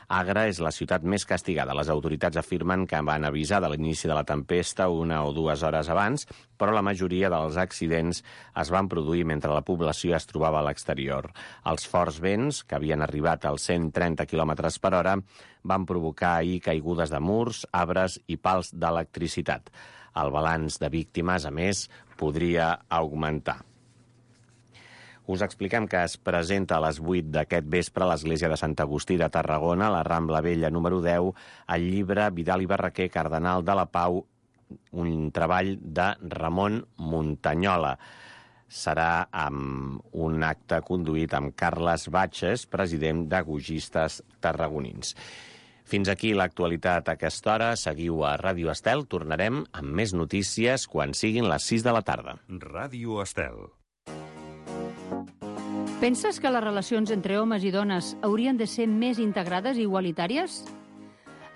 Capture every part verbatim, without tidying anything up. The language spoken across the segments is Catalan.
Agra és la ciutat més castigada. Les autoritats afirmen que van avisar de l'inici de la tempesta una o dues hores abans, però la majoria dels accidents es van produir mentre la població es trobava a l'exterior. Els forts vents, que havien arribat als cent trenta quilòmetres per hora, van provocar ahir caigudes de murs, arbres i pals d'electricitat. El balanç de víctimes, a més, podria augmentar. Us expliquem que es presenta a les vuit d'aquest vespre a l'Església de Sant Agustí de Tarragona, a la Rambla Vella número deu, el llibre Vidal i Barraquer, Cardenal de la Pau, un treball de Ramon Muntanyola. Serà amb un acte conduït amb Carles Batxes, president de Gaugistes Tarragonins. Fins aquí l'actualitat a aquesta hora. Seguiu a Ràdio Estel. Tornarem amb més notícies quan siguin les sis de la tarda. Ràdio Estel. Penses que les relacions entre homes i dones haurien de ser més integrades i igualitàries?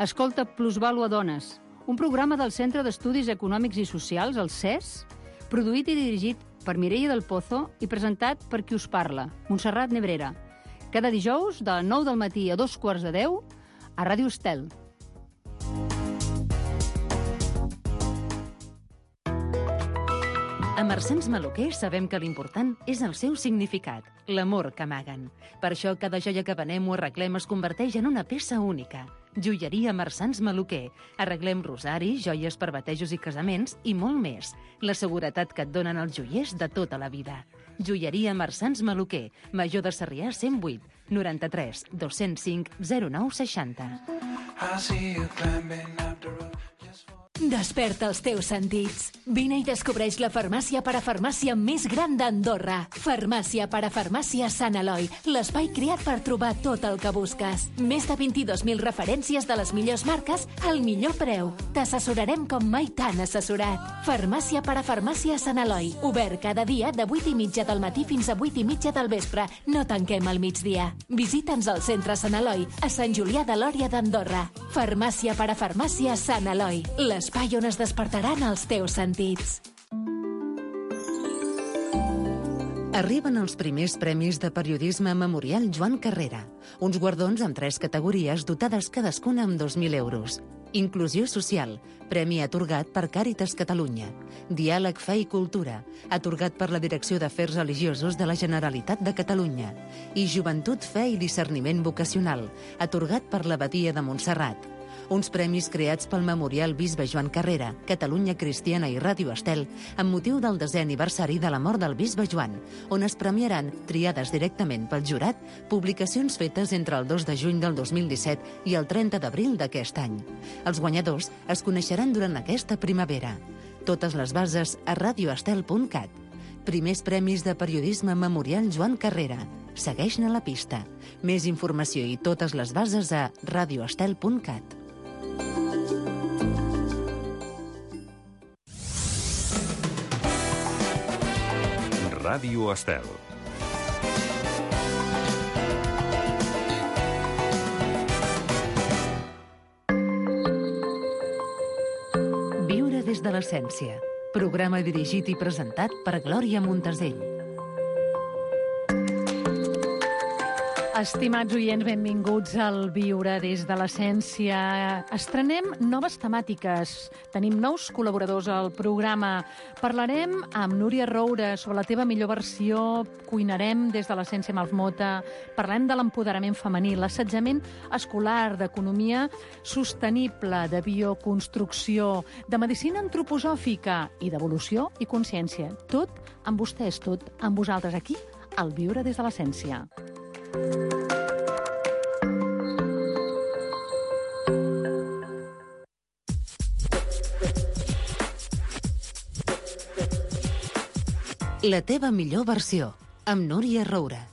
Escolta Plusvàlua Dones, un programa del Centre d'Estudis Econòmics i Socials, el C E S, produït i dirigit per Mireia del Pozo i presentat per qui us parla, Montserrat Nebrera. Cada dijous, de nou del matí a dos quarts de deu, a Ràdio Estel. A Marsans Maluquer sabem que l'important és el seu significat, l'amor que amaguen. Per això cada joia que venem o arreglem es converteix en una peça única. Joieria Marsans Maluquer. Arreglem rosaris, joies per batejos i casaments i molt més. La seguretat que et donen els joiers de tota la vida. Joieria Marsans Maluquer. Major de Sarrià cent vuit, noranta-tres, dos-cents cinc, zero nou seixanta. Desperta els teus sentits. Vine i descobreix la farmàcia parafarmàcia més gran d'Andorra. Farmàcia parafarmàcia Sant Eloi, l'espai creat per trobar tot el que busques. Més de vint-i-dos mil referències de les millors marques al millor preu. T'assessorarem com mai t'han assessorat. Farmàcia parafarmàcia Sant Eloi, obert cada dia de vuit i mitja del matí fins a vuit i mitja del vespre. No tanquem al migdia. Visita'ns al centre Sant Eloi, a Sant Julià de Lòria d'Andorra. Farmàcia parafarmàcia Sant Eloi, l'espai on es despertaran els teus sentits. Arriben els primers premis de periodisme Memorial Joan Carrera, uns guardons amb tres categories dotades cadascuna amb dos mil euros. Inclusió social, premi atorgat per Càritas Catalunya. Diàleg, fe i cultura, atorgat per la Direcció d'Afers Religiosos de la Generalitat de Catalunya. I Joventut, fe i discerniment vocacional, atorgat per l'Abadia de Montserrat. Uns premis creats pel Memorial Bisbe Joan Carrera, Catalunya Cristiana i Ràdio Estel, amb motiu del desè aniversari de la mort del Bisbe Joan, on es premiaran, triades directament pel jurat, publicacions fetes entre el dos de juny del dos mil disset i el trenta d'abril d'aquest any. Els guanyadors es coneixeran durant aquesta primavera. Totes les bases a radioestel punt cat. Primers premis de periodisme Memorial Joan Carrera. Segueix-ne la pista. Més informació i totes les bases a radioestel punt cat. Ràdio Estel. Viure des de l'essència. Programa dirigit i presentat per Glòria Montesell. Estimats oients, benvinguts al Viure des de l'essència. Estrenem noves temàtiques. Tenim nous col·laboradors al programa. Parlarem amb Núria Roura sobre la teva millor versió. Cuinarem des de l'essència amb els Mota. Parlem de l'empoderament femení, l'assetjament escolar, d'economia sostenible, de bioconstrucció, de medicina antroposòfica i d'evolució i consciència. Tot amb vostès, tot amb vosaltres aquí, al Viure des de l'essència. La teva millor versió, amb Núria Roura.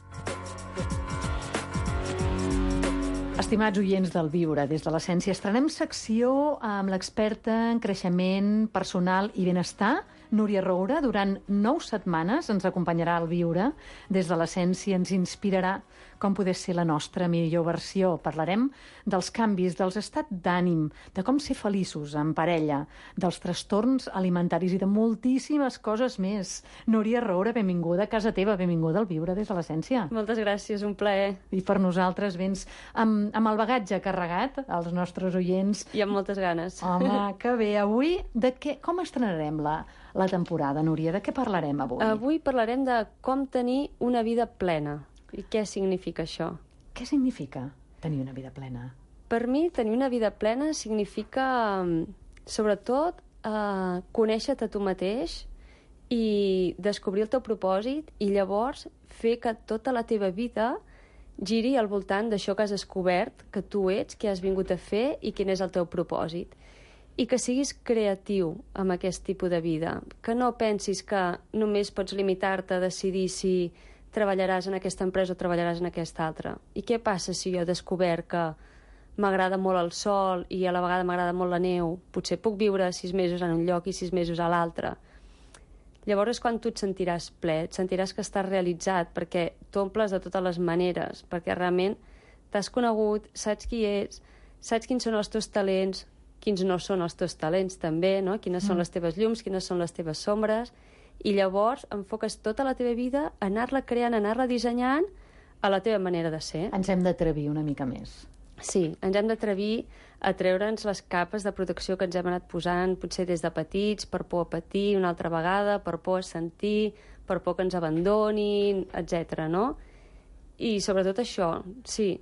Estimats oients del Viure des de l'essència, estrenem secció amb l'experta en creixement personal i benestar, Núria Roura. Durant nou setmanes ens acompanyarà al Viure des de l'essència, ens inspirarà com poder ser la nostra millor versió. Parlarem dels canvis, dels estats d'ànim, de com ser feliços en parella, dels trastorns alimentaris i de moltíssimes coses més. Núria Roura, benvinguda a casa teva, benvinguda al Viure des de l'Essència. Moltes gràcies, un plaer. I per nosaltres vens amb, amb el bagatge carregat, als nostres oients. I amb moltes ganes. Home, que bé. Avui, de què, com estrenarem la, la temporada, Núria? De què parlarem avui? Avui parlarem de com tenir una vida plena. I què significa això? Què significa tenir una vida plena? Per mi, tenir una vida plena significa, sobretot, eh, conèixer-te a tu mateix i descobrir el teu propòsit i llavors fer que tota la teva vida giri al voltant d'això que has descobert, que tu ets, què has vingut a fer i quin és el teu propòsit. I que siguis creatiu amb aquest tipus de vida, que no pensis que només pots limitar-te a decidir si treballaràs en aquesta empresa o treballaràs en aquesta altra. I què passa si jo he descobert que m'agrada molt el sol i a la vegada m'agrada molt la neu? Potser puc viure sis mesos en un lloc i sis mesos a l'altre. Llavors és quan tu et sentiràs ple, et sentiràs que estàs realitzat, perquè t'omples de totes les maneres, perquè realment t'has conegut, saps qui ets, saps quins són els teus talents, quins no són els teus talents també, no? Quines mm. són les teves llums, quines són les teves sombres, i llavors enfoques tota la teva vida a anar-la creant, a anar-la dissenyant a la teva manera de ser. Ens hem d'atrevir una mica més. Sí, ens hem d'atrevir a treure'ns les capes de protecció que ens hem anat posant, potser des de petits, per por a patir una altra vegada, per por a sentir, per por que ens abandonin, etcètera, no? I sobretot això, sí,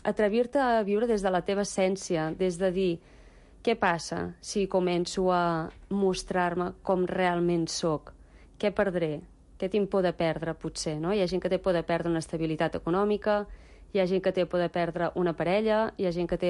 atrevir-te a viure des de la teva essència, des de dir, què passa si començo a mostrar-me com realment sóc? Què perdré? Què tinc por de perdre, potser, no? Hi ha gent que té por de perdre una estabilitat econòmica, hi ha gent que té por de perdre una parella, hi ha gent que té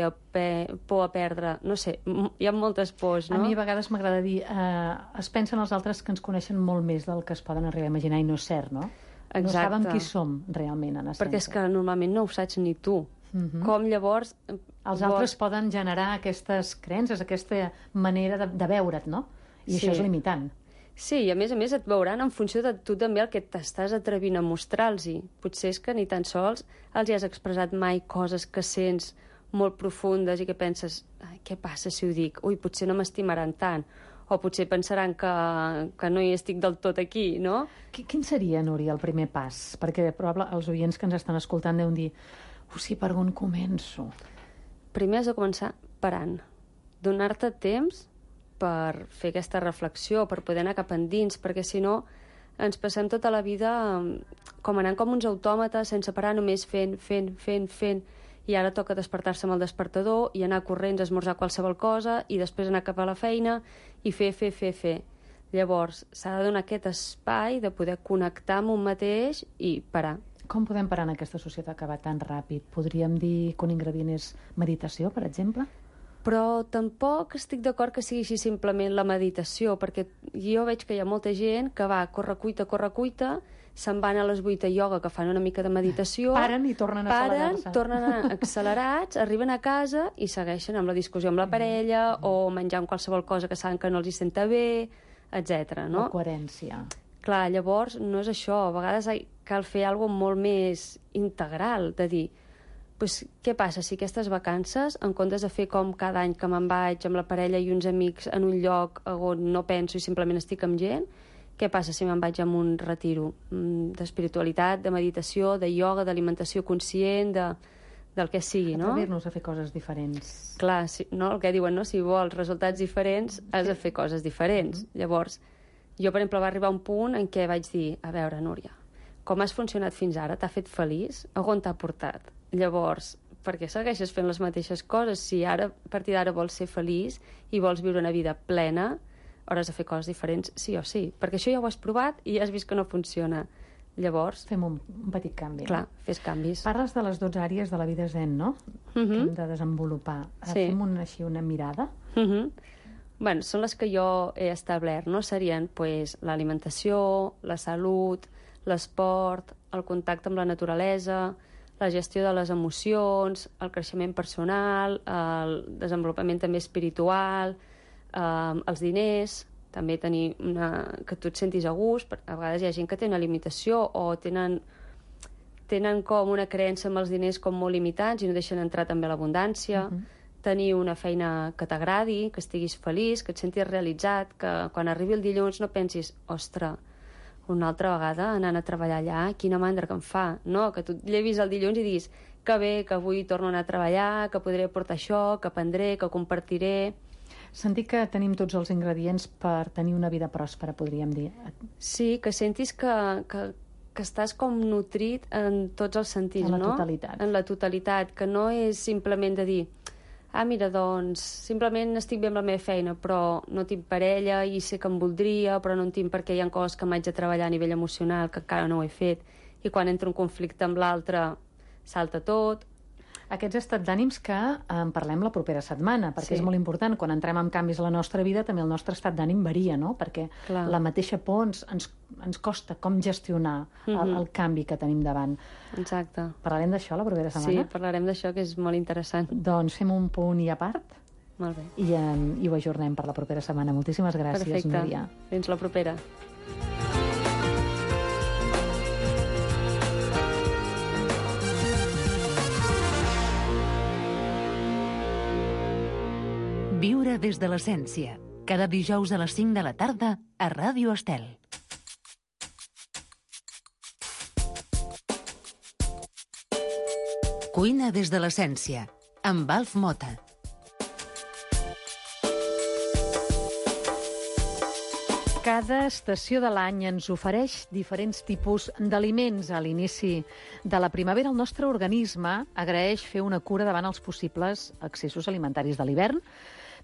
por a perdre... No sé, hi ha moltes pors, no? A mi a vegades m'agrada dir... Eh, es pensen els altres que ens coneixen molt més del que es poden arribar a imaginar, i no és cert, no? Exacte. No saben qui som realment, en essència. Perquè és que normalment no ho saps ni tu. Uh-huh. Com llavors... Els altres vols... poden generar aquestes creences, aquesta manera de, de veure't, no? I sí. Això és limitant. Sí, i a més a més et veuran en funció de tu també el que t'estàs atrevint a mostrar-los-hi. Potser és que ni tan sols els hi has expressat mai coses que sents molt profundes i que penses, què passa si ho dic? Ui, potser no m'estimaran tant. O potser pensaran que, que no hi estic del tot aquí, no? Quin seria, Núria, el primer pas? Perquè probablement els oients que ens estan escoltant deuen dir, oh, sí, per on començo? Primer has de començar parant. Donar-te temps per fer aquesta reflexió, per poder anar cap endins, perquè si no ens passem tota la vida com anant com uns autòmates, sense parar, només fent, fent, fent, fent, i ara toca despertar-se amb el despertador i anar corrents a esmorzar qualsevol cosa i després anar cap a la feina i fer, fer, fer, fer. Llavors, s'ha de donar aquest espai de poder connectar amb un mateix i parar. Com podem parar en aquesta societat que va tan ràpid? Podríem dir que un ingredient és meditació, per exemple? Però tampoc estic d'acord que sigui així simplement la meditació, perquè jo veig que hi ha molta gent que va a corre-cuita, corre-cuita, se'n van a les vuit a ioga, que fan una mica de meditació... Paren i tornen a accelerar-se. Paren, tornen accelerats, arriben a casa i segueixen amb la discussió amb la parella o menjant qualsevol cosa que saben que no els hi senta bé, etcètera. No? La coherència. Clar, llavors no és això. A vegades cal fer alguna cosa molt més integral, de dir... Pues, què passa si aquestes vacances, en comptes de fer com cada any que me'n vaig amb la parella i uns amics en un lloc on no penso i simplement estic amb gent, què passa si me'n vaig amb un retiro d'espiritualitat, de meditació, de ioga, d'alimentació conscient, de, del que sigui, no? Atrevir-nos a fer coses diferents. Clar, si, no? El que diuen, no? Si vols resultats diferents, has de fer coses diferents. Mm-hmm. Llavors, jo, per exemple, va arribar un punt en què vaig dir, a veure, Núria, com has funcionat fins ara? T'ha fet feliç? A on t'ha portat? Llavors, per què segueixes fent les mateixes coses? Si ara, a partir d'ara, vols ser feliç i vols viure una vida plena, hauràs de fer coses diferents sí o sí. Perquè això ja ho has provat i ja has vist que no funciona. Llavors... Fem un, un petit canvi. Clar, no? Fes canvis. Parles de les dotze àrees de la vida zen, no? Uh-huh. Que hem de desenvolupar. Sí. Fem una, així una mirada? Uh-huh. Bueno, són les que jo he establert, no? Serien pues, l'alimentació, la salut, l'esport, el contacte amb la naturalesa, la gestió de les emocions, el creixement personal, el desenvolupament també espiritual, eh, els diners, també tenir una... que tu et sentis a gust. A vegades hi ha gent que té una limitació o tenen tenen com una creença amb els diners com molt limitats i no deixen entrar també l'abundància. Uh-huh. Tenir una feina que t'agradi, que estiguis feliç, que et sentis realitzat, que quan arribi el dilluns no pensis, ostres, una altra vegada anant a treballar allà, quina mandra que em fa. No, que tu llevis el dilluns i diguis que bé, que avui torno a anar a treballar, que podré portar això, que aprendré, que compartiré. Sentir que tenim tots els ingredients per tenir una vida pròspera, podríem dir. Sí, que sentis que, que, que estàs com nutrit en tots els sentits, no? En la totalitat. En la totalitat, que no és simplement de dir ah, mira, doncs, simplement estic bé amb la meva feina, però no tinc parella i sé que em voldria, però no en tinc perquè hi ha coses que m'haig de treballar a nivell emocional, que encara no ho he fet, i quan entro en conflicte amb l'altre salta tot. Aquests estats d'ànims que en parlem la propera setmana, perquè Sí. és molt important. Quan entrem en canvis a la nostra vida, també el nostre estat d'ànim varia, no? Perquè Clar. la mateixa por ens, ens, ens costa com gestionar el, Mhm. el canvi que tenim davant. Exacte. Parlarem d'això la propera Sí, setmana? parlarem d'això, que és molt interessant. Doncs fem un punt i a part Molt bé. i, eh, i ho ajornem per la propera setmana. Moltíssimes gràcies, Perfecte. Núria. Fins la propera. Viure des de l'essència. Cada dijous a les cinc de la tarda a Ràdio Estel. Cuina des de l'essència, amb Alf Mota. Cada estació de l'any ens ofereix diferents tipus d'aliments. A l'inici de la primavera, el nostre organisme agraeix fer una cura davant els possibles excessos alimentaris de l'hivern.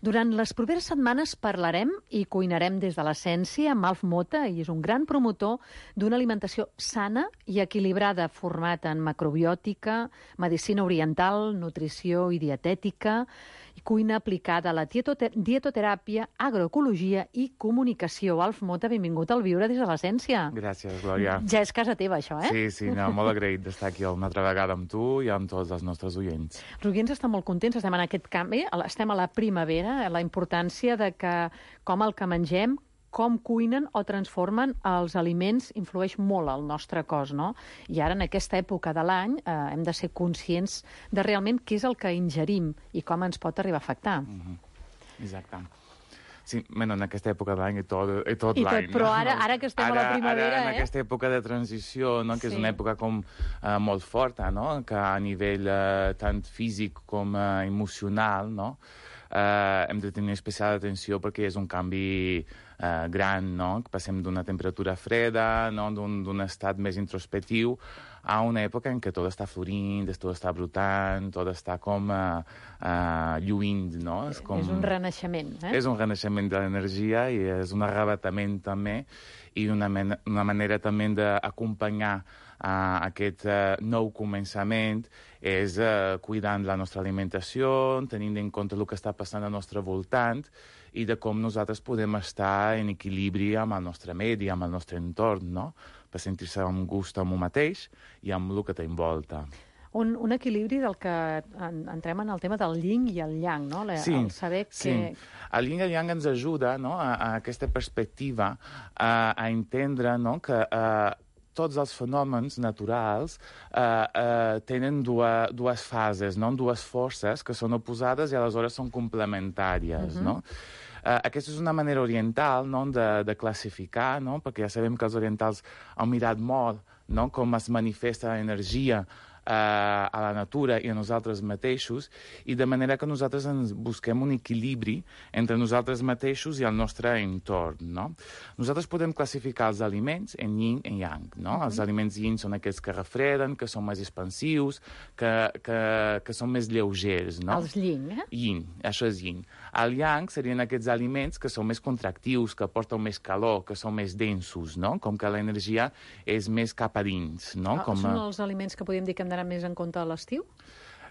Durant les properes setmanes parlarem i cuinarem des de l'essència amb Alf Mota, i és un gran promotor d'una alimentació sana i equilibrada, format en macrobiòtica, medicina oriental, nutrició i dietètica, i cuina aplicada a la dieto- dietoteràpia, agroecologia i comunicació. Alf Mota, benvingut al Viure des de l'essència. Gràcies, Glòria. Ja és casa teva, això, eh? Sí, sí, no, molt agraït d'estar aquí una altra vegada amb tu i amb tots els nostres oients. Els oients estan molt contents, estem en aquest canvi, estem a la primavera, la importància de que com el que mengem, com cuinen o transformen els aliments influeix molt al nostre cos, no? I ara, en aquesta època de l'any, eh, hem de ser conscients de realment què és el que ingerim i com ens pot arribar a afectar. Mm-hmm. Exacte. Sí, bueno, en aquesta època de l'any i tot, i tot I tot, l'any. però no? ara- ara que estem a la Ara- primavera, ara, en eh? aquesta època de transició, no? que Sí. és una època com eh, molt forta, no? que a nivell eh, tant físic com eh, emocional, no? eh, hem de tenir especial atenció perquè és un canvi eh, gran, no? que passem d'una temperatura freda, no? d'un d'un estat més introspectiu, a una època en què tot està florint, tot està brotant, tot està com uh, uh, lluint, no? És, com... És un renaixement, eh? És un renaixement de l'energia i és un arrebatament també i una, men una manera també d'acompanyar uh, aquest uh, nou començament és uh, cuidant la nostra alimentació, tenint en compte el que està passant al nostre voltant i de com nosaltres podem estar en equilibri amb el nostre medi, amb el nostre entorn, no? Per sentir-se amb gust amb un mateix i amb el que t'envolta. Un, un equilibri del que en, entrem en el tema del yin i el yang, no? La, Sí, el saber que... sí. El yin i el yang ens ajuda, no? a, a aquesta perspectiva a, a entendre, no? que a, tots els fenòmens naturals eh, eh, tenen dues, dues fases, no? dues forces que són oposades i aleshores són complementàries. Uh-huh. no? Uh, aquesta és una manera oriental, no? de, de classificar, no? perquè ja sabem que els orientals han mirat molt, no? com es manifesta l'energia Uh, a la natura i a nosaltres mateixos, i de manera que nosaltres ens busquem un equilibri entre nosaltres mateixos i el nostre entorn. No? Nosaltres podem classificar els aliments en yin i yang. No? Uh-huh. Els aliments yin són aquells que refreden, que són més expansius, que, que, que són més lleugers. No? Els yin, eh? Yin, això és yin. El yang serien aquests aliments que són més contractius, que porten més calor, que són més densos, no? Com que l'energia és més cap a dins, no? Ah, Com són a... els aliments que podríem dir que hem d'anar més en compte a l'estiu?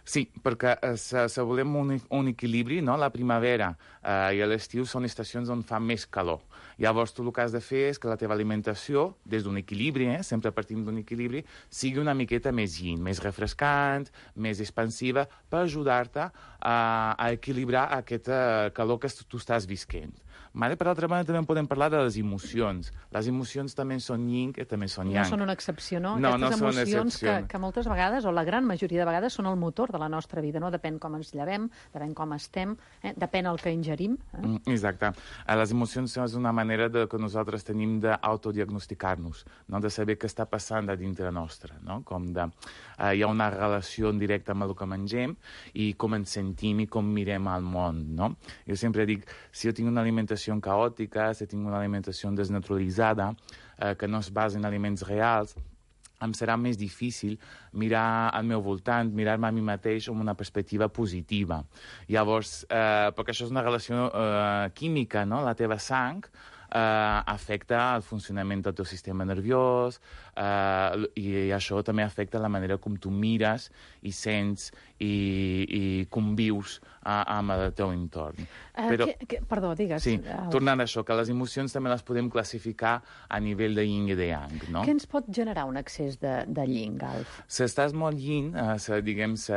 Sí, perquè eh, se, se volem un, un equilibri, no? La primavera eh, i l'estiu són estacions on fa més calor. Llavors, tu el que has de fer és que la teva alimentació, des d'un equilibri, eh, sempre partim d'un equilibri, sigui una miqueta més yin, més refrescant, més expansiva, per ajudar-te a, a equilibrar aquesta calor que tu estàs visquent. Vale? Per altra banda, també podem parlar de les emocions. Les emocions també són yin i també són yang. No són una excepció, no? No, Aquestes no són emocions excepció. que, que moltes vegades, o la gran majoria de vegades, són el motor de la nostra vida, no? Depèn com ens llevem, depèn com estem, eh? Depèn el que ingerim. Eh? Mm, exacte. Eh, Les emocions és una manera de, que nosaltres tenim d'autodiagnosticar-nos, no? De saber què està passant a dintre nostre, no? Com de, eh, hi ha una relació directa amb el que mengem i com ens sentim i com mirem al món, no? Jo sempre dic, si jo tinc una alimentació caòtica, si tinc una alimentació desnaturalitzada, eh, que no es basa en aliments reals, em serà més difícil mirar al meu voltant, mirar-me a mi mateix amb una perspectiva positiva. Llavors, eh, perquè això és una relació eh, química, no? La teva sang eh, afecta el funcionament del teu sistema nerviós eh, i això també afecta la manera com tu mires i sents i, i convius a, amb el teu entorn. Uh, Però, que, que, perdó, digues. sí, El... tornant a això, que les emocions també les podem classificar a nivell de yin i de yang, no? Què ens pot generar un excés de, de yin, Alf? Si estàs molt yin, eh, si, diguem, si,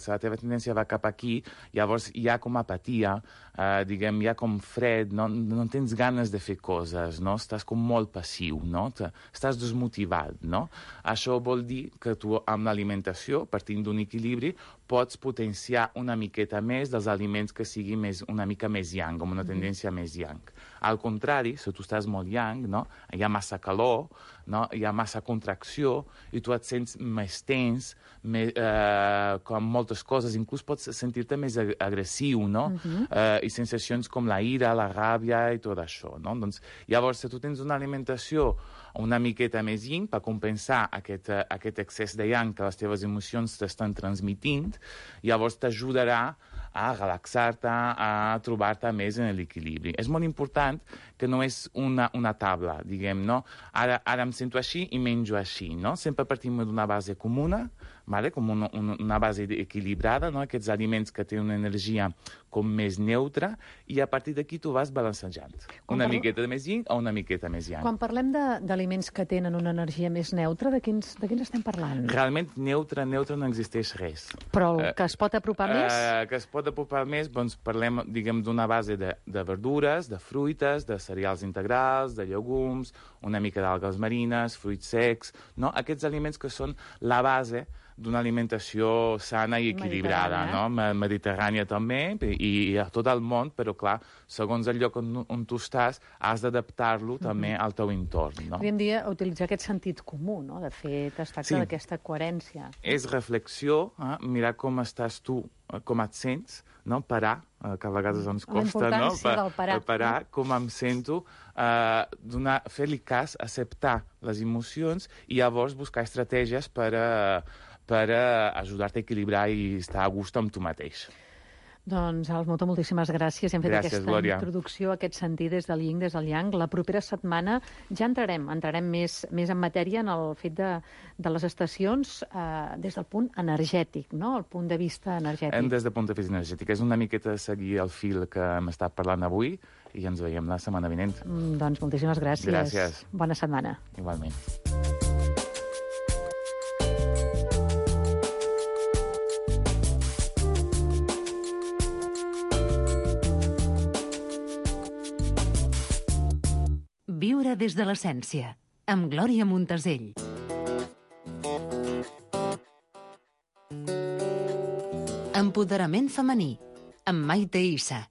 si la teva tendència va cap aquí, llavors hi ha com apatia, eh, diguem, hi ha com fred, no, no tens ganes de fer coses, no? Estàs com molt passiu, no? Estàs desmotivat, no? Això vol dir que tu, amb l'alimentació, partint d'un equilibri, pots potenciar una miqueta més dels aliments que siguin més, una mica més yang, amb una tendència més yang. Al contrari, si tu estàs molt yang, no? Hi ha massa calor, no? Hi ha massa contracció i tu et sents més tens, més, eh, com moltes coses, inclús pots sentir-te més ag agressiu, no? Uh-huh. eh, I sensacions com la ira, la ràbia i tot això, no? Doncs, llavors, si tu tens una alimentació una miqueta més yin per compensar aquest, uh, aquest excés de yang que les teves emocions t'estan transmitint, llavors t'ajudarà a relaxar-te, a trobar-te més en l'equilibri. És molt important que no és una, una taula, diguem, no? Ara, ara em sento així i menjo així, no? Sempre partim d'una base comuna, vale? Com una, una, una base equilibrada, no? Aquests aliments que tenen una energia com més neutra, i a partir d'aquí tu vas balancejant. Una parlo... miqueta més yin o una miqueta més yang. Quan parlem d'aliments que tenen una energia més neutra, de quins, de quins estem parlant? Realment, neutre, neutre no existeix res. Però el Eh, que es pot apropar eh, més? Que es pot apropar més, doncs parlem, diguem, d'una base de, de verdures, de fruites, de cereals integrals, de llegums, una mica d'algues marines, fruits secs, no? Aquests aliments que són la base d'una alimentació sana i equilibrada, no? Mediterrània també, i, i a tot el món, però clar, segons el lloc on, on tu estàs, has d'adaptar-lo uh-huh. també al teu entorn, no? Podríem dir utilitzar aquest sentit comú, no? De fet, es tracta Sí. d'aquesta coherència. És reflexió, eh? Mirar com estàs tu, eh? Com et sents, no? Parar, eh? Que a vegades ens La costa, no? importància del parar. parar, com em sento, eh, donar, fer-li cas, acceptar les emocions i llavors buscar estratègies per a, per a ajudar-te a equilibrar i estar a gust amb tu mateix. Doncs, Alf, moltíssimes gràcies. Hem fet Gràcies, aquesta Glòria. introducció, aquest sentit des del yin, des del yang. La propera setmana ja entrarem, entrarem més, més en matèria en el fet de, de les estacions eh, des del punt energètic, no? El punt de vista energètic. Hem des del punt de vista energètic. És una miqueta seguir el fil que hem estat parlant avui i ens veiem la setmana vinent. Mm, doncs moltíssimes gràcies. Gràcies. Bona setmana. Igualment. Viure des de l'essència, amb Glòria Montesell. Empoderament femení, amb Maite Issa.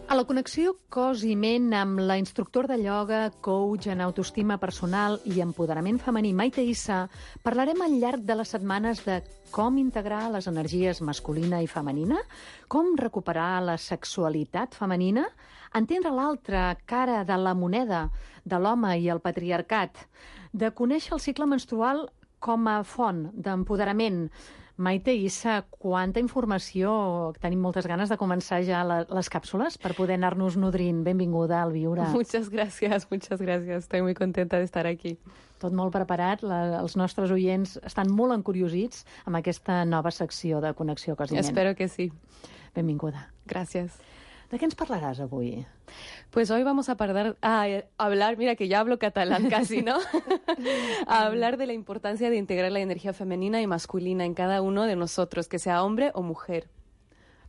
A la connexió cos i ment amb la instructor de ioga, coach en autoestima personal i empoderament femení Maite Issa, parlarem al llarg de les setmanes de com integrar les energies masculina i femenina, com recuperar la sexualitat femenina, entendre l'altra cara de la moneda de l'home i el patriarcat, de conèixer el cicle menstrual com a font d'empoderament. Maite Issa, quanta informació. Tenim moltes ganes de començar ja la, les cápsulas per poder anar-nos nodrint. Benvinguda al Viure. Muchas gracias, muchas gracias. Estoy muy contenta de estar aquí. Tot molt preparat. La, els nostres oients estan molt encuriosits amb aquesta nova secció de Connexió Cos i Ment. Espero que sí. Benvinguda. Gracias. De què ens parlaràs avui? Pues hoy vamos a, pardar, a hablar, mira que ya hablo catalán casi, ¿no? A hablar de la importancia de integrar la energía femenina y masculina en cada uno de nosotros, que sea hombre o mujer.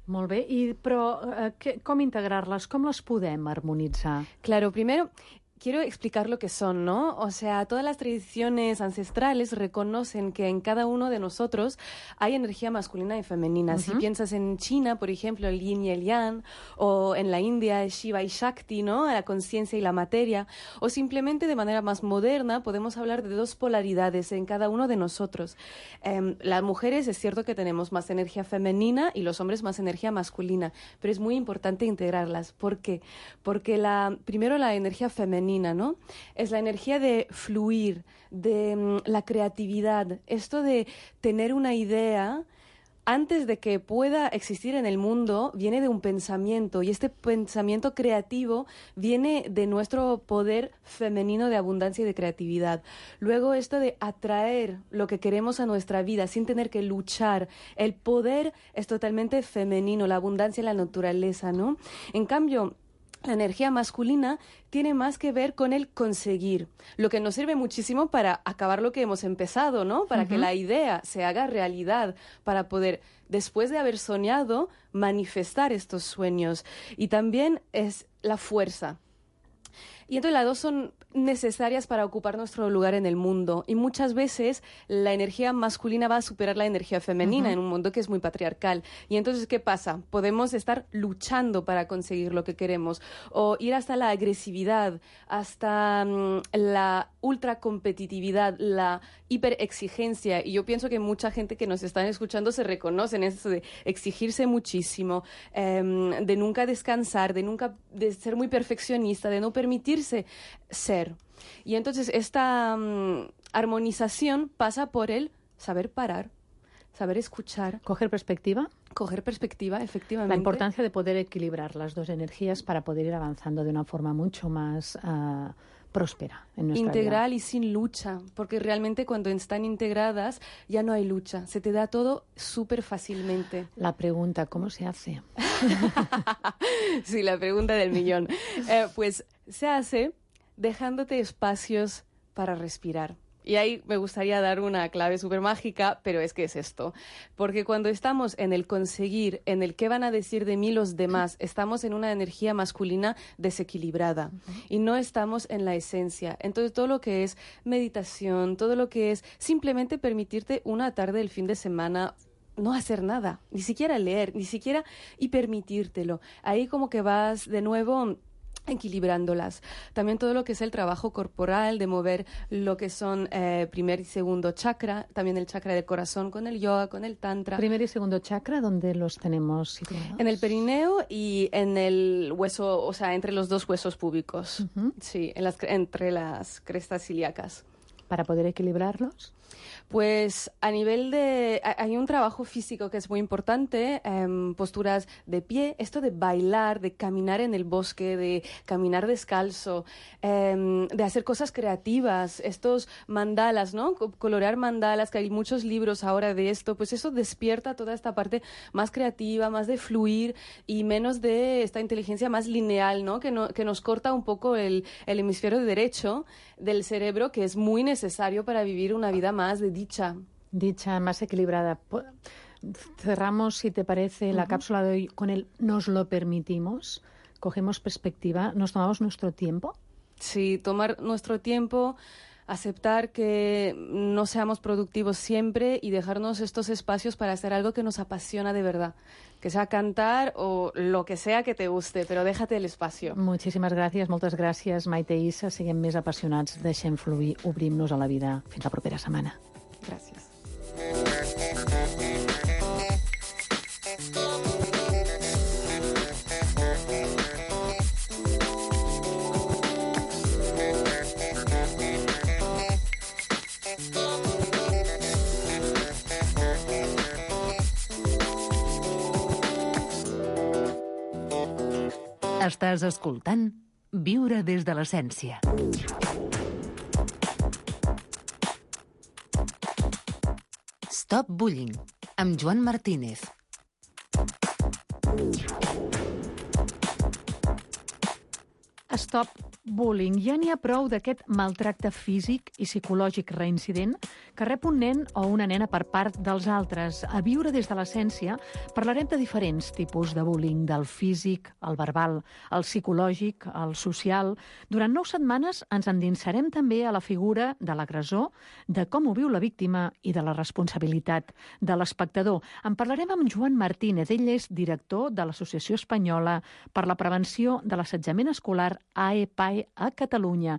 Molt bé, I, però eh, que, com integrar-les? Com les podem harmonitzar? Claro, primero quiero explicar lo que son, ¿no? O sea, todas las tradiciones ancestrales reconocen que en cada uno de nosotros hay energía masculina y femenina. Uh-huh. Si piensas en China, por ejemplo, el yin y el yang, o en la India, Shiva y Shakti, ¿no? La conciencia y la materia, o simplemente de manera más moderna podemos hablar de dos polaridades en cada uno de nosotros. Eh, las mujeres es cierto que tenemos más energía femenina y los hombres más energía masculina, pero es muy importante integrarlas. ¿Por qué? Porque la, primero la energía femenina, ¿no? Es la energía de fluir, de um, la creatividad, esto de tener una idea antes de que pueda existir en el mundo, viene de un pensamiento, y este pensamiento creativo viene de nuestro poder femenino de abundancia y de creatividad. Luego esto de atraer lo que queremos a nuestra vida sin tener que luchar, el poder es totalmente femenino, la abundancia y la naturaleza, ¿no? En cambio, la energía masculina tiene más que ver con el conseguir, lo que nos sirve muchísimo para acabar lo que hemos empezado, ¿no? Para uh-huh. que la idea se haga realidad, para poder, después de haber soñado, manifestar estos sueños. Y también es la fuerza. Y entonces las dos son necesarias para ocupar nuestro lugar en el mundo. Y muchas veces la energía masculina va a superar la energía femenina uh-huh. en un mundo que es muy patriarcal. Y entonces, ¿qué pasa? Podemos estar luchando para conseguir lo que queremos, o ir hasta la agresividad, hasta um, la ultracompetitividad, la hiperexigencia. Y yo pienso que mucha gente que nos está escuchando se reconoce en eso de exigirse muchísimo, um, de nunca descansar, de nunca de ser muy perfeccionista, de no permitirse ser. Y entonces esta um, armonización pasa por el saber parar, saber escuchar. Coger perspectiva. Coger perspectiva, efectivamente. La importancia de poder equilibrar las dos energías para poder ir avanzando de una forma mucho más uh, próspera en nuestra Integral vida. Y sin lucha, porque realmente cuando están integradas ya no hay lucha, se te da todo súper fácilmente. La pregunta, ¿cómo se hace? Sí, la pregunta del millón. Eh, pues se hace dejándote espacios para respirar. Y ahí me gustaría dar una clave súper mágica, pero es que es esto. Porque cuando estamos en el conseguir, en el qué van a decir de mí los demás, estamos en una energía masculina desequilibrada uh-huh. y no estamos en la esencia. Entonces todo lo que es meditación, todo lo que es simplemente permitirte una tarde el fin de semana, no hacer nada, ni siquiera leer, ni siquiera y permitírtelo. Ahí como que vas de nuevo equilibrándolas. También todo lo que es el trabajo corporal, de mover lo que son eh, primer y segundo chakra, también el chakra del corazón con el yoga, con el tantra. Primer y segundo chakra, ¿dónde los tenemos situados? En el perineo y en el hueso, o sea, entre los dos huesos púbicos. Uh-huh. Sí, en las, entre las crestas ilíacas. ¿Para poder equilibrarlos? Pues a nivel de... Hay un trabajo físico que es muy importante, eh, posturas de pie, esto de bailar, de caminar en el bosque, de caminar descalzo, eh, de hacer cosas creativas, estos mandalas, ¿no? Colorear mandalas, que hay muchos libros ahora de esto, pues eso despierta toda esta parte más creativa, más de fluir y menos de esta inteligencia más lineal, ¿no? Que, no, que nos corta un poco el, el hemisferio derecho del cerebro, que es muy necesario para vivir una vida más de dicha. Dicha, más equilibrada. Cerramos, si te parece, uh-huh. la cápsula de hoy con el nos lo permitimos, cogemos perspectiva, nos tomamos nuestro tiempo. Sí, tomar nuestro tiempo, aceptar que no seamos productivos siempre y dejarnos estos espacios para hacer algo que nos apasiona de verdad, que sea cantar o lo que sea que te guste, però déjate el espacio. Moltíssimes gràcies, moltes gràcies, Maite i Issa. Siguem més apassionats, deixem fluir, obrim-nos a la vida. Fins la propera setmana. Gràcies. Estàs escoltant Viure des de l'essència. Stop Bullying, amb Joan Martínez. Stop Bullying. Ja n'hi ha prou d'aquest maltracte físic i psicològic reincident que rep un nen o una nena per part dels altres. A Viure des de l'essència parlarem de diferents tipus de bullying, del físic, el verbal, el psicològic, el social. Durant nou setmanes ens endinsarem també a la figura de l'agressor, de com ho viu la víctima i de la responsabilitat de l'espectador. En parlarem amb Joan Martínez. Ell és director de l'Associació Espanyola per la Prevenció de l'Assetjament Escolar, A E P A E, a Catalunya.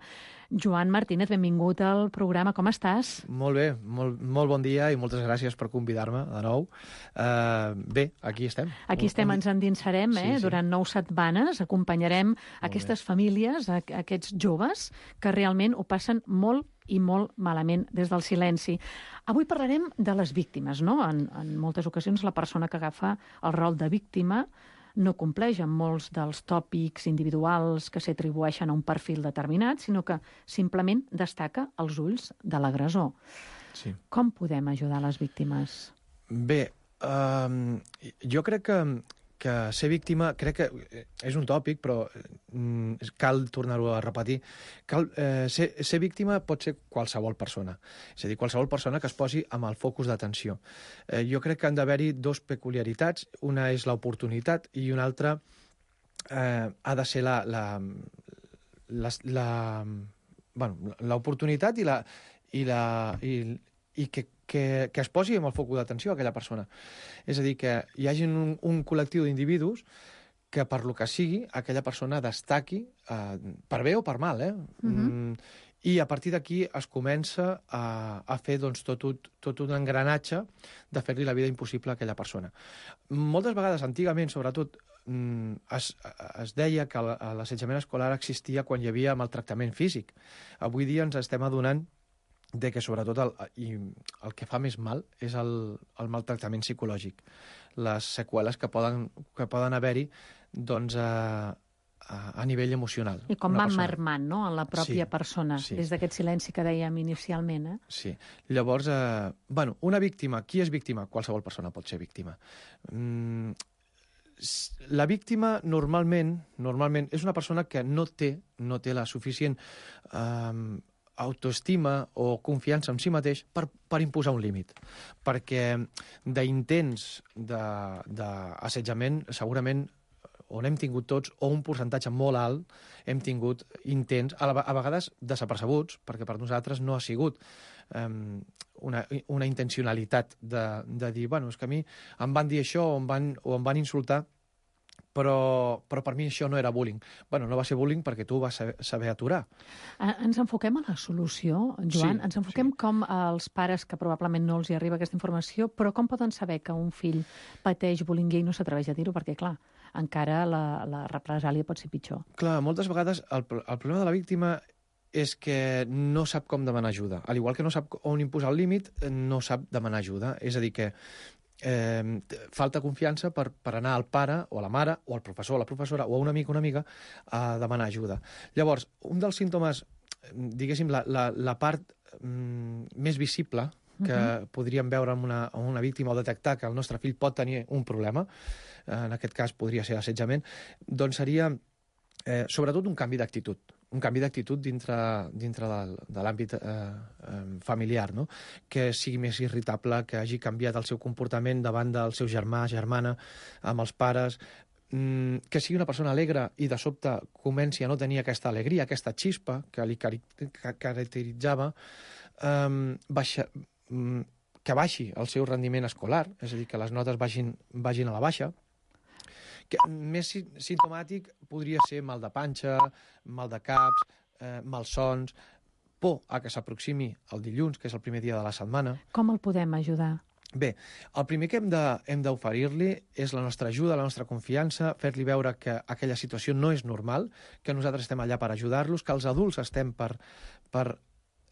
Joan Martínez, benvingut al programa. Com estàs? Molt bé, molt, molt bon dia i moltes gràcies per convidar-me de nou. Uh, bé, aquí estem. Aquí estem, ens endinsarem, eh? Sí, sí. Durant nou setmanes acompanyarem molt aquestes bé. famílies, a, a aquests joves que realment ho passen molt i molt malament des del silenci. Avui parlarem de les víctimes, no? En, en moltes ocasions la persona que agafa el rol de víctima no compleix amb molts dels tòpics individuals que s'atribueixen a un perfil determinat, sinó que simplement destaca els ulls de l'agressor. Sí. Com podem ajudar les víctimes? Bé, um, jo crec que, que ser víctima, crec que és un tòpic, però mm, cal tornar-ho a repetir. Cal, eh, ser, ser víctima pot ser qualsevol persona. És a dir, qualsevol persona que es posi amb el focus d'atenció. Eh, jo crec que han d'haver-hi dos peculiaritats. Una és l'oportunitat i una altra eh, ha de ser la... la, la, la bueno, l'oportunitat i la... I, la, i, i que, que, que es posi amb el focus d'atenció a aquella persona. És a dir, que hi hagi un, un col·lectiu d'individus que, per lo que sigui, aquella persona destaqui, eh, per bé o per mal, eh? Uh-huh. Mm, i a partir d'aquí es comença a, a fer doncs, tot, un, tot un engranatge de fer-li la vida impossible a aquella persona. Moltes vegades, antigament, sobretot, mm, es, es deia que l'assetjament escolar existia quan hi havia maltractament físic. Avui dia ens estem adonant de que sobretot el, i el que fa més mal és el, el maltractament psicològic, les seqüeles que poden, que poden haver-hi doncs, a, a, a nivell emocional. I com va marmant, no?, en la pròpia sí, persona, sí. Des d'aquest silenci que dèiem inicialment. Eh? Sí. Llavors, eh, bueno, una víctima, qui és víctima? Qualsevol persona pot ser víctima. Mm, la víctima normalment, normalment és una persona que no té, no té la suficient eh, autoestima o confiança en si mateix per, per imposar un límit. Perquè d'intents d'assetjament segurament on hem tingut tots, o un percentatge molt alt, hem tingut intents, a, la, a vegades desapercebuts, perquè per nosaltres no ha sigut um, una, una intencionalitat de, de dir, bueno, és que a mi em van dir això o em van, o em van insultar, però, però per mi això no era bullying. Bueno, no va ser bullying perquè tu vas saber, saber aturar. Ens enfoquem a la solució, Joan? Sí, Ens enfoquem sí. com als pares que probablement no els hi arriba aquesta informació, però com poden saber que un fill pateix bullying i no s'atreveix a dir-ho? Perquè, clar, encara la, la represàlia pot ser pitjor. Clar, moltes vegades el, el problema de la víctima és que no sap com demanar ajuda. Al igual que no sap on imposar el límit, no sap demanar ajuda. És a dir, que Eh, falta confiança per, per anar al pare o a la mare o al professor o a la professora o a un amic o una amiga a demanar ajuda. Llavors, un dels símptomes, diguéssim, la, la, la part mm, més visible que uh-huh. podríem veure en una, en una víctima o detectar que el nostre fill pot tenir un problema, en aquest cas podria ser assetjament, doncs seria eh, sobretot un canvi d'actitud. un canvi d'actitud dintre, dintre de, de l'àmbit eh, eh, familiar, no? Que sigui més irritable, que hagi canviat el seu comportament davant del seu germà, germana, amb els pares, mm, que sigui una persona alegre i de sobte comenci a no tenir aquesta alegria, aquesta xispa que li cari que caracteritzava, eh, baixa, mm, que baixi el seu rendiment escolar, és a dir, que les notes vagin, vagin a la baixa. Que més simptomàtic podria ser mal de panxa, mal de caps, eh, malsons, por a que s'aproximi el dilluns, que és el primer dia de la setmana. Com el podem ajudar? Bé, el primer que hem d'oferir-li és la nostra ajuda, la nostra confiança, fer-li veure que aquella situació no és normal, que nosaltres estem allà per ajudar-los, que els adults estem per, per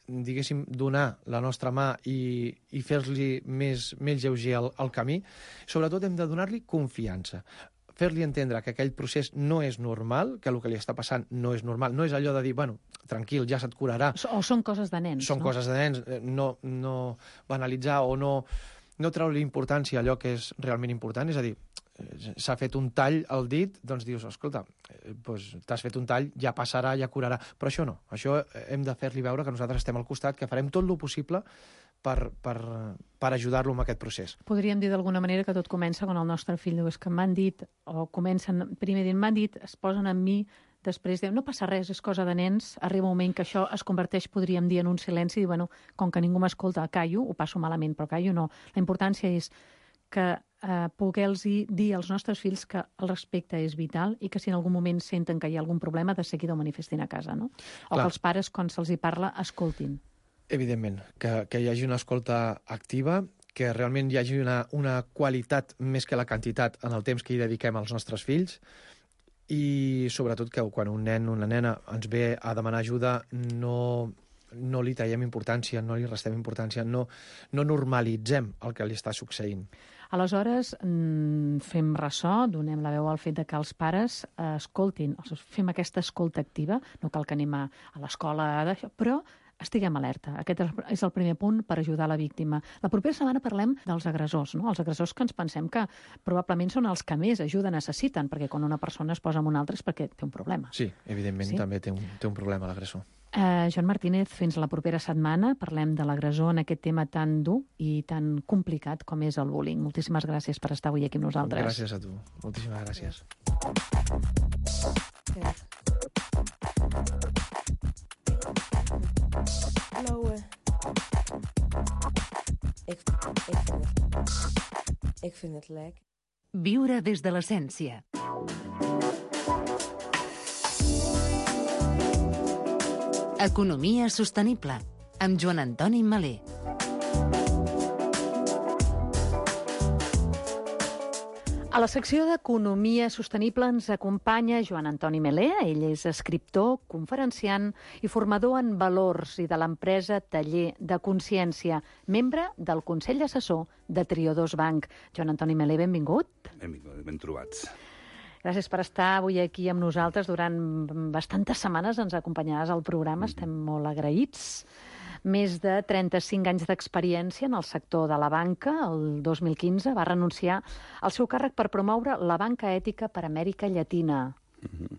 diguéssim, donar la nostra mà i, i fer-li més, més lleuger el, el camí. Sobretot hem de donar-li confiança. Fer-li entendre que aquell procés no és normal, que el que li està passant no és normal. No és allò de dir, bueno, tranquil, ja se't curarà. O són coses de nens, Són no? coses de nens. No, no banalitzar o no, no treure importància a allò que és realment important. És a dir, s'ha fet un tall al dit, doncs dius, escolta, eh, doncs t'has fet un tall, ja passarà, ja curarà. Però això no, això hem de fer-li veure que nosaltres estem al costat, que farem tot el possible per, per, per ajudar-lo en aquest procés. Podríem dir d'alguna manera que tot comença quan el nostre fill diu, és que m'han dit, o comencen primer dient, m'han dit, es posen amb mi, després diuen, no passa res, és cosa de nens, arriba un moment que això es converteix, podríem dir, en un silenci, i bueno, com que ningú m'escolta, callo, ho passo malament, però callo no. La importància és que eh, poder-los dir als nostres fills que el respecte és vital i que si en algun moment senten que hi ha algun problema, de seguida ho manifestin a casa, no? O Clar. que els pares, quan se'ls hi parla, escoltin. Evidentment, que, que hi hagi una escolta activa, que realment hi hagi una, una qualitat més que la quantitat en el temps que hi dediquem als nostres fills, i sobretot que quan un nen o una nena ens ve a demanar ajuda no, no li tallem importància, no li restem importància, no, no normalitzem el que li està succeint. Aleshores, fem ressò, donem la veu al fet de que els pares escoltin, fem aquesta escolta activa, no cal que anem a, a l'escola, però estiguem alerta. Aquest és el primer punt per ajudar la víctima. La propera setmana parlem dels agressors, no? Els agressors que ens pensem que probablement són els que més ajuda necessiten, perquè quan una persona es posa amb una altra és perquè té un problema. Sí, evidentment, sí? també té un, té un problema l'agressor. Uh, Joan Martínez, fins la propera setmana parlem de l'agressor en aquest tema tan dur i tan complicat com és el bullying. Moltíssimes gràcies per estar avui aquí amb nosaltres. Gràcies a tu. Moltíssimes gràcies. Blauwe. Ik, ik, vind het, ik vind het lekker. Viure des de l'essència. Economia sostenible, amb Joan Antoni Malé. A la secció d'Economia Sostenible ens acompanya Joan Antoni Malé. Ell és escriptor, conferenciant i formador en valors i de l'empresa Taller de Consciència, membre del Consell Assessor de Triodos Bank. Joan Antoni Malé, benvingut. Benvingut, ben trobats. Gràcies per estar avui aquí amb nosaltres. Durant bastantes setmanes ens acompanyaràs al programa. Estem molt agraïts. Més de trenta-cinc anys d'experiència en el sector de la banca. El dos mil quinze va renunciar al seu càrrec per promoure la banca ètica per Amèrica Llatina. Mm-hmm.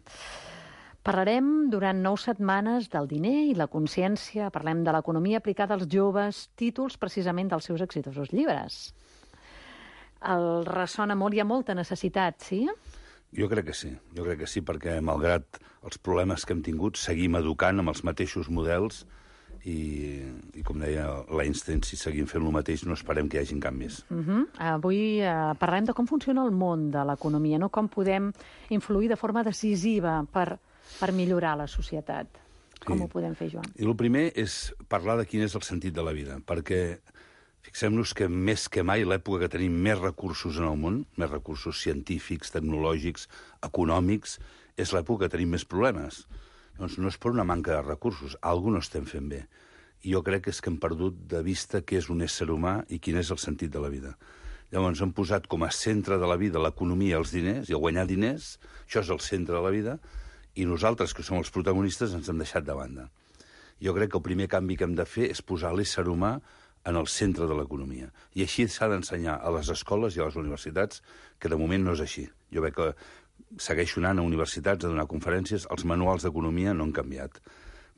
Parlarem durant nou setmanes del diner i la consciència. Parlem de l'economia aplicada als joves, títols precisament dels seus exitosos llibres. El ressona molt, hi ha molta necessitat, sí? Jo crec que sí, jo crec que sí, perquè malgrat els problemes que hem tingut, seguim educant amb els mateixos models i, i com deia l'Einstein, si seguim fent el mateix no esperem que hi hagin canvis. Uh-huh. Avui uh, parlem de com funciona el món de l'economia, no? Com podem influir de forma decisiva per, per millorar la societat. Com sí. Ho podem fer, Joan? I el primer és parlar de quin és el sentit de la vida, perquè fixem-nos que més que mai l'època que tenim més recursos en el món, més recursos científics, tecnològics, econòmics, és l'època que tenim més problemes. Doncs no és per una manca de recursos, alguna no estem fent bé. I jo crec que és que hem perdut de vista què és un ésser humà i quin és el sentit de la vida. Llavors hem posat com a centre de la vida l'economia i els diners, i a guanyar diners, això és el centre de la vida, i nosaltres, que som els protagonistes, ens hem deixat de banda. Jo crec que el primer canvi que hem de fer és posar l'ésser humà en el centre de l'economia. I així s'ha d'ensenyar a les escoles i a les universitats, que de moment no és així. Jo veig que segueixo anant a universitats a donar conferències, els manuals d'economia no han canviat.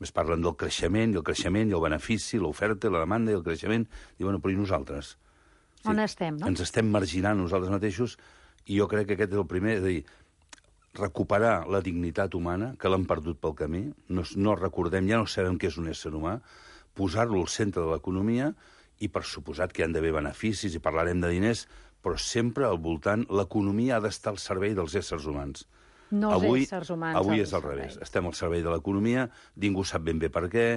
Es parlen del creixement, i el creixement, i el benefici, l'oferta, la demanda i el creixement. I bueno, però i nosaltres? Sí, on estem, no? Ens estem marginant nosaltres mateixos, i jo crec que aquest és el primer, és a dir, recuperar la dignitat humana, que l'hem perdut pel camí, no, no recordem, ja no sabem què és un ésser humà, posar-lo al centre de l'economia, i per suposat que hi han d'haver beneficis i parlarem de diners, però sempre al voltant l'economia ha d'estar al servei dels éssers humans. No els avui, éssers humans. Avui és al revés. Estem al servei de l'economia, ningú sap ben bé per què,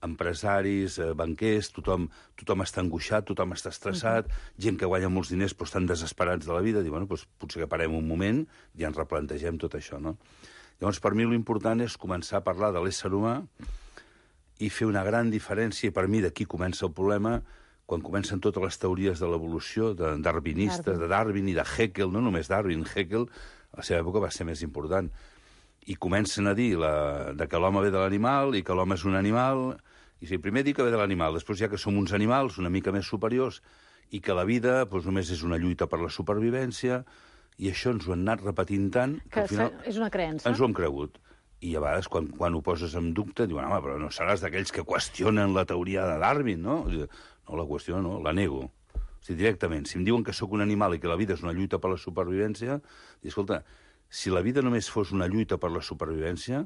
empresaris, eh, banquers, tothom, tothom està angoixat, tothom està estressat, uh-huh. gent que guanya molts diners però estan desesperats de la vida, diuen, bueno, doncs potser que parem un moment i ens replantegem tot això, no? Llavors, per mi l'important és començar a parlar de l'ésser humà i fer una gran diferència, i per mi d'aquí comença el problema, quan comencen totes les teories de l'evolució, de darwinistes, de Darwin i de Haeckel, no només Darwin, Haeckel, a la seva època va ser més important, i comencen a dir la, de que l'home ve de l'animal i que l'home és un animal, i sí, primer dir que ve de l'animal, després ja que som uns animals una mica més superiors, i que la vida doncs, només és una lluita per la supervivència, I això ens ho han anat repetint tant que, que al final és una creença. ens ho hem cregut. I a vegades, quan, quan ho poses en dubte, diuen, home, però no seràs d'aquells que qüestionen la teoria de Darwin, no? No, la qüestiono, no, la nego. O sigui, directament, si em diuen que sóc un animal i que la vida és una lluita per la supervivència, dic, escolta, si la vida només fos una lluita per la supervivència,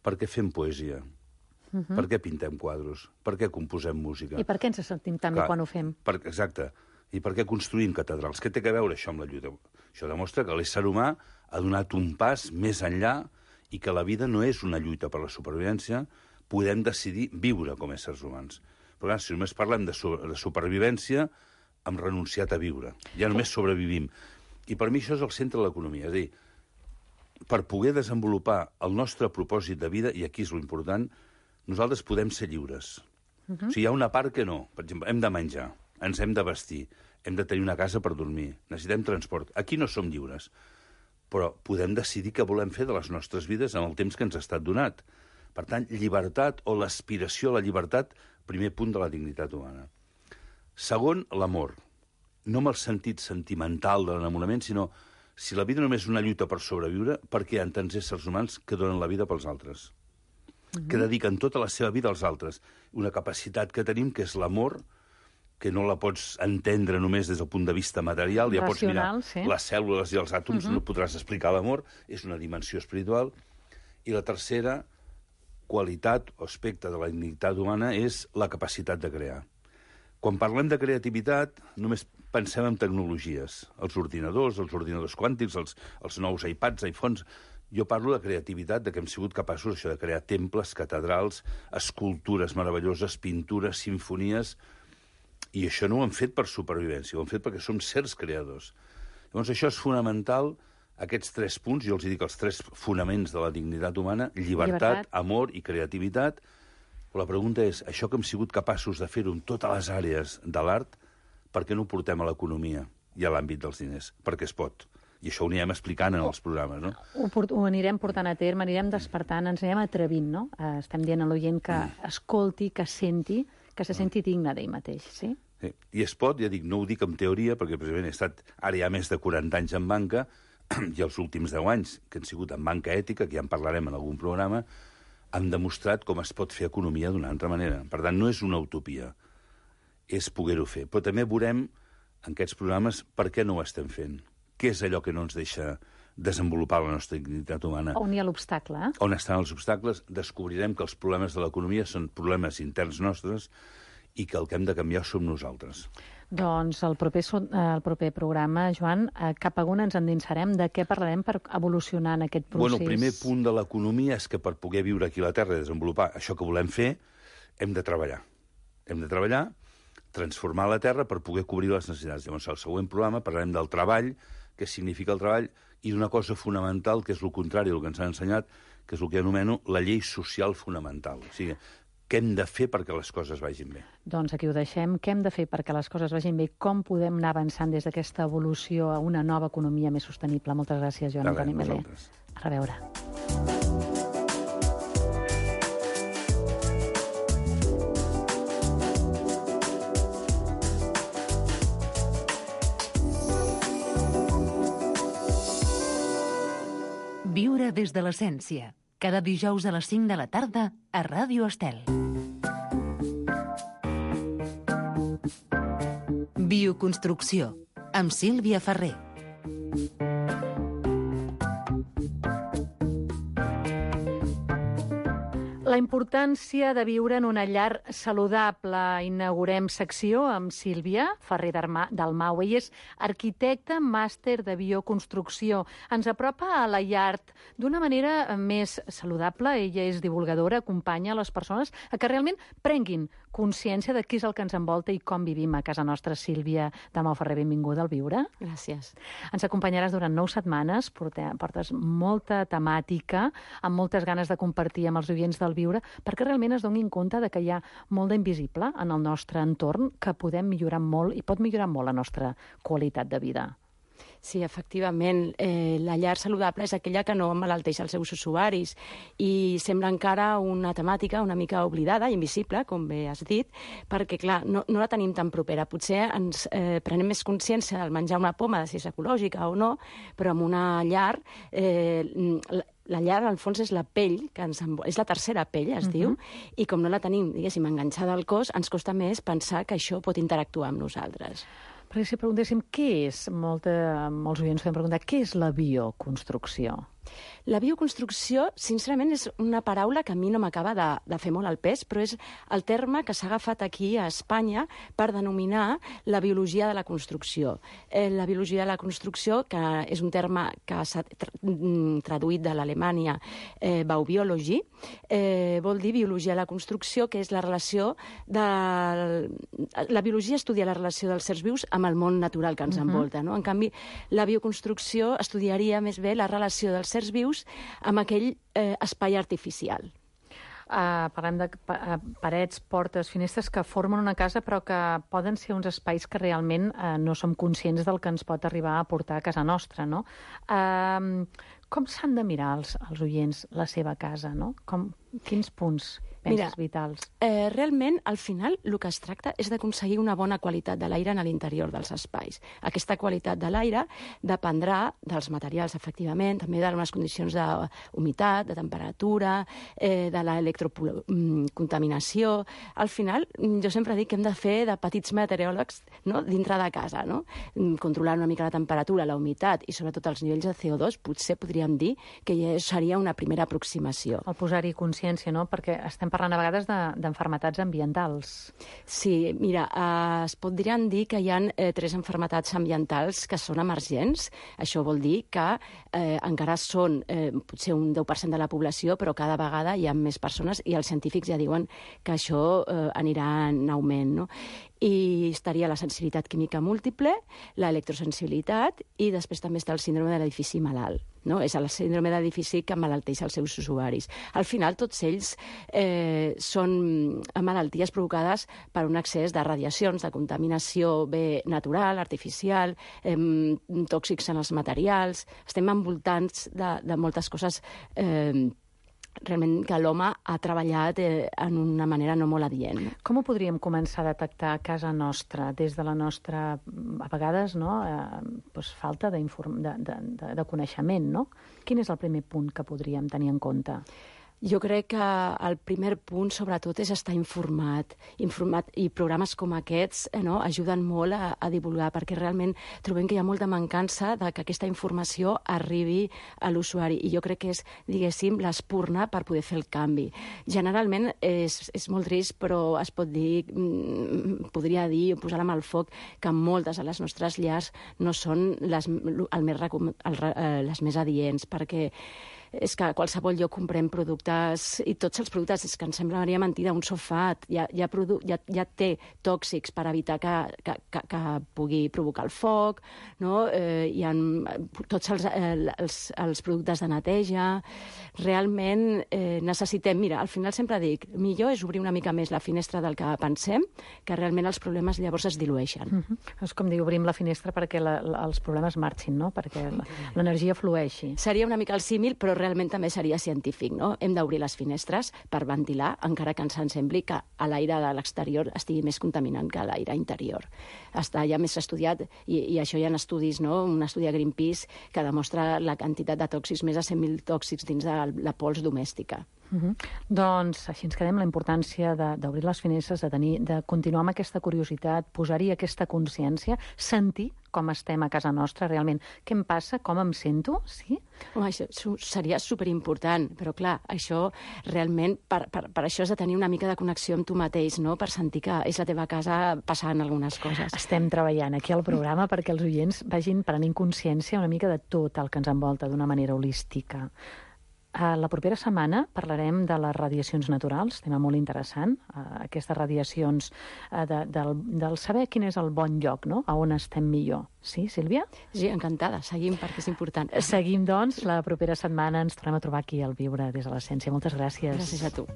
per què fem poesia? Uh-huh. Per què pintem quadros? Per què composem música? I per què ens sentim tan bé quan ho fem? Per, exacte. I per què construïm catedrals? Què té a veure això amb la lluita? Això demostra que l'ésser humà ha donat un pas més enllà i que la vida no és una lluita per la supervivència, podem decidir viure com a éssers humans. Però clar, si només parlem de, su de supervivència, hem renunciat a viure. Ja només sobrevivim. I per mi això és el centre de l'economia. És a dir, per poder desenvolupar el nostre propòsit de vida, i aquí és l'important, nosaltres podem ser lliures. Uh-huh. O sigui, hi ha una part que no. Per exemple, hem de menjar, ens hem de vestir, hem de tenir una casa per dormir, necessitem transport. Aquí no som lliures, però podem decidir què volem fer de les nostres vides en el temps que ens ha estat donat. Per tant, llibertat o l'aspiració a la llibertat, primer punt de la dignitat humana. Segon, l'amor. No amb el sentit sentimental de l'enamorament, sinó si la vida només és una lluita per sobreviure, per què hi ha tants éssers humans que donen la vida pels altres? Uh-huh. Que dediquen tota la seva vida als altres. Una capacitat que tenim, que és l'amor, que no la pots entendre només des del punt de vista material, ja pots mirar sí. les cèl·lules i els àtoms, uh-huh. no podràs explicar l'amor, és una dimensió espiritual. I la tercera qualitat o aspecte de la dignitat humana és la capacitat de crear. Quan parlem de creativitat, només pensem en tecnologies, els ordinadors, els ordinadors quàntics, els, els nous iPads, iPhones. Jo parlo de creativitat, de que hem sigut capaços això de crear temples, catedrals, escultures meravelloses, pintures, simfonies, i això no ho hem fet per supervivència, ho hem fet perquè som certs creadors. Llavors això és fonamental, aquests tres punts, jo els dic els tres fonaments de la dignitat humana, llibertat, llibertat. amor i creativitat. Però la pregunta és, això que hem sigut capaços de fer-ho en totes les àrees de l'art, per què no ho portem a l'economia i a l'àmbit dels diners? Perquè es pot. I això ho anirem explicant en els programes, no? Ho, port ho anirem portant a terme, anirem despertant, ens anirem atrevint, no? Eh, estem dient a l'oient que mm. escolti, que senti, que se senti digne d'ell mateix, sí? Sí. I es pot, ja dic, no ho dic en teoria, perquè precisament he estat ara ja més de quaranta anys en banca, i els últims deu anys, que han sigut en banca ètica, que ja en parlarem en algun programa, han demostrat com es pot fer economia d'una altra manera. Per tant, no és una utopia, és poder-ho fer. Però també veurem en aquests programes per què no ho estem fent. Què és allò que no ens deixa desenvolupar la nostra dignitat humana? On hi ha l'obstacle, eh? On estan els obstacles? Descobrirem que els problemes de l'economia són problemes interns nostres i que el que hem de canviar som nosaltres. Doncs el proper, el proper programa, Joan, cap a on ens endinsarem? De què parlarem per evolucionar en aquest procés? Bueno, el primer punt de l'economia és que per poder viure aquí a la Terra i desenvolupar això que volem fer, hem de treballar. Hem de treballar, transformar la Terra per poder cobrir les necessitats. Llavors, al següent programa parlarem del treball, què significa el treball, i d'una cosa fonamental, que és el contrari del que ens han ensenyat, que és el que anomeno la llei social fonamental. O sigui, què hem de fer perquè les coses vagin bé? Doncs aquí ho deixem. Què hem de fer perquè les coses vagin bé? Com podem anar avançant des d'aquesta evolució a una nova economia més sostenible? Moltes gràcies, Joan Antoni Melé. A reveure. Viure des de l'essència. Cada dijous a les cinc de la tarda a Ràdio Estel. Bioconstrucció, amb Sílvia Ferrer. La importància de viure en una llar saludable. Inaugurem secció amb Sílvia Ferrer Dalmau. Ella és arquitecta, màster de bioconstrucció. Ens apropa a la llar d'una manera més saludable. Ella és divulgadora, acompanya les persones a que realment prenguin consciència de què és el que ens envolta i com vivim a casa nostra. Sílvia Dalmau Ferrer, benvinguda al Viure. Gràcies. Ens acompanyaràs durant nou setmanes, portes molta temàtica, amb moltes ganes de compartir amb els oients del Viure, perquè realment es donin compte de que hi ha molt d'invisible en el nostre entorn, que podem millorar molt i pot millorar molt la nostra qualitat de vida. Sí, efectivament. Eh, la llar saludable és aquella que no emmalalteix els seus usuaris i sembla encara una temàtica una mica oblidada, invisible, com bé has dit, perquè, clar, no, no la tenim tan propera. Potser ens eh, prenem més consciència del menjar una poma, de si és ecològica o no, però amb una llar... Eh, la, la llar, al fons, és la pell, que ens envol... és la tercera pell, es uh-huh. diu, i com no la tenim, diguéssim, enganxada al cos, ens costa més pensar que això pot interactuar amb nosaltres. Perquè si preguntéssim què és, molta, molts oients podem preguntar, què és la bioconstrucció? La bioconstrucció, sincerament, és una paraula que a mi no m'acaba de, de fer molt al pes, però és el terme que s'ha agafat aquí a Espanya per denominar la biologia de la construcció. Eh, la biologia de la construcció, que és un terme que s'ha tra traduït de l'Alemanya, eh, Baubiology, eh, vol dir biologia de la construcció, que és la relació de... La biologia estudia la relació dels éssers vius amb el món natural que ens uh-huh. envolta, no? En canvi, la bioconstrucció estudiaria més bé la relació dels éssers vius amb aquell eh, espai artificial. Uh, parlem de pa parets, portes, finestres que formen una casa però que poden ser uns espais que realment uh, no som conscients del que ens pot arribar a portar a casa nostra, no? Uh, com s'han de mirar els, els oients la seva casa, no? Com, quins punts penses Mira, vitals? Eh, realment, al final, el que es tracta és d'aconseguir una bona qualitat de l'aire en l'interior dels espais. Aquesta qualitat de l'aire dependrà dels materials, efectivament, també de les condicions d'humitat, de temperatura, eh, de l'electrocontaminació. Al final, jo sempre dic que hem de fer de petits meteoròlegs, no?, dintre de casa, no? Controlar una mica la temperatura, la humitat i sobretot els nivells de C O dos, potser podríem dir que ja seria una primera aproximació. El posar-hi consciència, no?, perquè estem parlant a vegades d'enfermetats de, ambientals. Sí, mira, eh, es podrien dir que hi ha eh, tres enfermetats ambientals que són emergents. Això vol dir que eh, encara són eh, potser un deu per cent de la població, però cada vegada hi ha més persones i els científics ja diuen que això eh, anirà en augment, no? I estaria la sensibilitat química múltiple, l'electrosensibilitat i després també està el síndrome de l'edifici malalt. No? És el síndrome de l'edifici que emmalalteix els seus usuaris. Al final, tots ells eh, són malalties provocades per un excés de radiacions, de contaminació bé natural, artificial, eh, tòxics en els materials. Estem envoltats de, de moltes coses eh, realment que l'home ha treballat eh, en una manera no molt adient. Com ho podríem començar a detectar a casa nostra, des de la nostra, a vegades, no, eh, doncs falta de, de, de, de coneixement, no? Quin és el primer punt que podríem tenir en compte? Jo crec que el primer punt, sobretot, és estar informat. Informat i programes com aquests eh, no, ajuden molt a, a divulgar, perquè realment trobem que hi ha molta mancança de que aquesta informació arribi a l'usuari. I jo crec que és, diguéssim, l'espurna per poder fer el canvi. Generalment és, és molt trist, però es pot dir, podria dir, posar la mà al foc, que moltes de les nostres llars no són les, el més, el, les més adients, perquè és que a qualsevol lloc comprem productes, i tots els productes, és que em semblaria mentida, un sofà ja, ja, ja, ja té tòxics per evitar que, que, que, que pugui provocar el foc, no? Eh, hi ha tots els, eh, els, els productes de neteja. Realment eh, necessitem, mira, al final sempre dic, millor és obrir una mica més la finestra del que pensem, que realment els problemes llavors es dilueixen. Mm-hmm. És com dir, obrim la finestra perquè la, la, els problemes marxin, no? Perquè l'energia flueixi. Seria una mica el símil, però realment també seria científic, no? Hem d'obrir les finestres per ventilar, encara que ens sembli que a l'aire de l'exterior estigui més contaminant que a l'aire interior. Està ja més estudiat, i, i això hi ha estudis, no? Un estudi a Greenpeace que demostra la quantitat de tòxics, més de cent mil tòxics dins de la pols domèstica. Uh-huh. Doncs així ens quedem, la importància d'obrir les finestres, de, tenir, de continuar amb aquesta curiositat, posar-hi aquesta consciència, sentir com estem a casa nostra realment. Què em passa? Com em sento? Sí? Home, això seria superimportant, però clar, això realment, per, per, per això has de tenir una mica de connexió amb tu mateix, no? Per sentir que és la teva casa passant algunes coses. Estem treballant aquí al programa perquè els oients vagin prenent consciència una mica de tot el que ens envolta d'una manera holística. Uh, la propera setmana parlarem de les radiacions naturals, tema molt interessant, uh, aquestes radiacions uh, de, del, del saber quin és el bon lloc, no? A on estem millor. Sí, Sílvia? Sí, encantada. Seguim perquè és important. Seguim, doncs. La propera setmana ens tornem a trobar aquí al Viure des de l'Essència. Moltes gràcies. Gràcies a tu.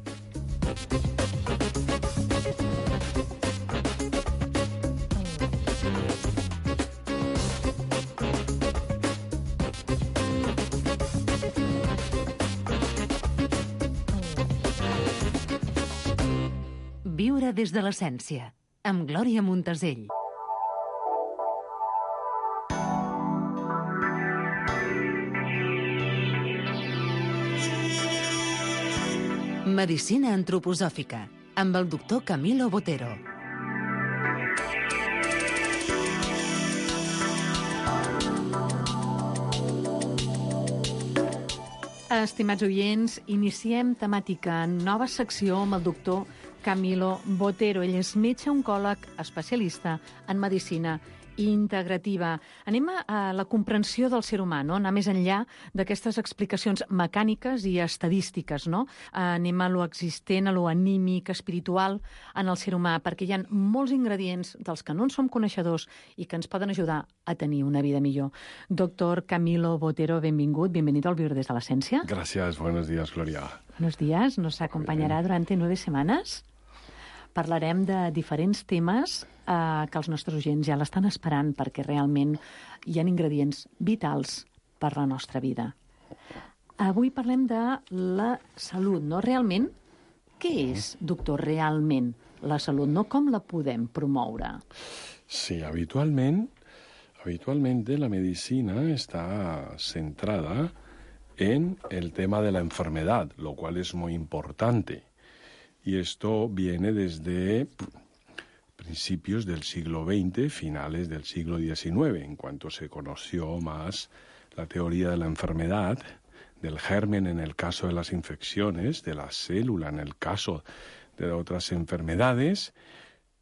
Viure des de l'essència, amb Glòria Montesell. Medicina antroposòfica, amb el doctor Camilo Botero. Estimats oients, iniciem temàtica en nova secció amb el doctor Camilo Botero. Ell és metge oncòleg especialista en medicina integrativa. Anem a la comprensió del ser humà, no? Anar més enllà d'aquestes explicacions mecàniques i estadístiques, no? Anem a lo existent, a lo anímic, espiritual en el ser humà, perquè hi ha molts ingredients dels que no en som coneixedors i que ens poden ajudar a tenir una vida millor. Doctor Camilo Botero, benvingut, bienvenido al Viure des de l'Essència. Gracias, buenos días, Gloria. Buenos días, nos acompañará durante nueve semanas. Parlarem de diferents temes eh, que els nostres oients ja l'estan esperant perquè realment hi ha ingredients vitals per la nostra vida. Avui parlem de la salut, no? Realment, què és, doctor, realment la salut, no? Com la podem promoure? Sí, habitualment, habitualmente la medicina está centrada en el tema de la enfermedad, lo cual es muy importante. Y esto viene desde principios del siglo veinte, finales del siglo diecinueve, en cuanto se conoció más la teoría de la enfermedad, del germen en el caso de las infecciones, de la célula en el caso de otras enfermedades.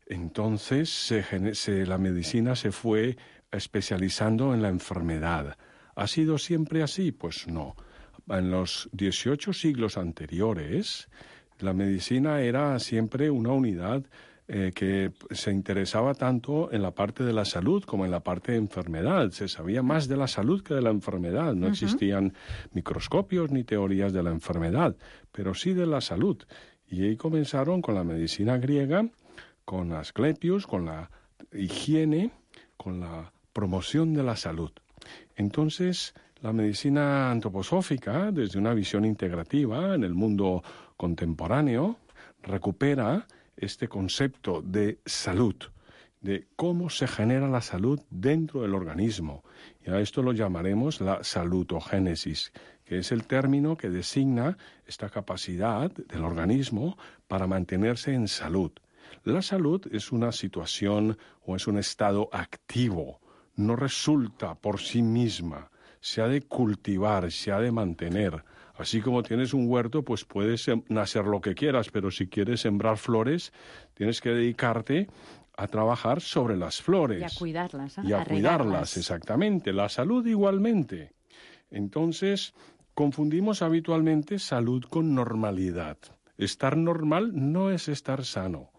Entonces se, se, la medicina se fue especializando en la enfermedad. ¿Ha sido siempre así? Pues no. En los dieciocho siglos anteriores, la medicina era siempre una unidad eh, que se interesaba tanto en la parte de la salud como en la parte de enfermedad. Se sabía más de la salud que de la enfermedad. No uh-huh. existían microscopios ni teorías de la enfermedad, pero sí de la salud. Y ahí comenzaron con la medicina griega, con Asclepius, con la higiene, con la promoción de la salud. Entonces, la medicina antroposófica, desde una visión integrativa en el mundo contemporáneo, recupera este concepto de salud, de cómo se genera la salud dentro del organismo. Y a esto lo llamaremos la salutogénesis, que es el término que designa esta capacidad del organismo para mantenerse en salud. La salud es una situación o es un estado activo, no resulta por sí misma, se ha de cultivar, se ha de mantener. Así como tienes un huerto, pues puedes nacer lo que quieras, pero si quieres sembrar flores, tienes que dedicarte a trabajar sobre las flores. Y a cuidarlas. ¿eh? Y a, a cuidarlas, regarlas. Exactamente. La salud igualmente. Entonces, confundimos habitualmente salud con normalidad. Estar normal no es estar sano.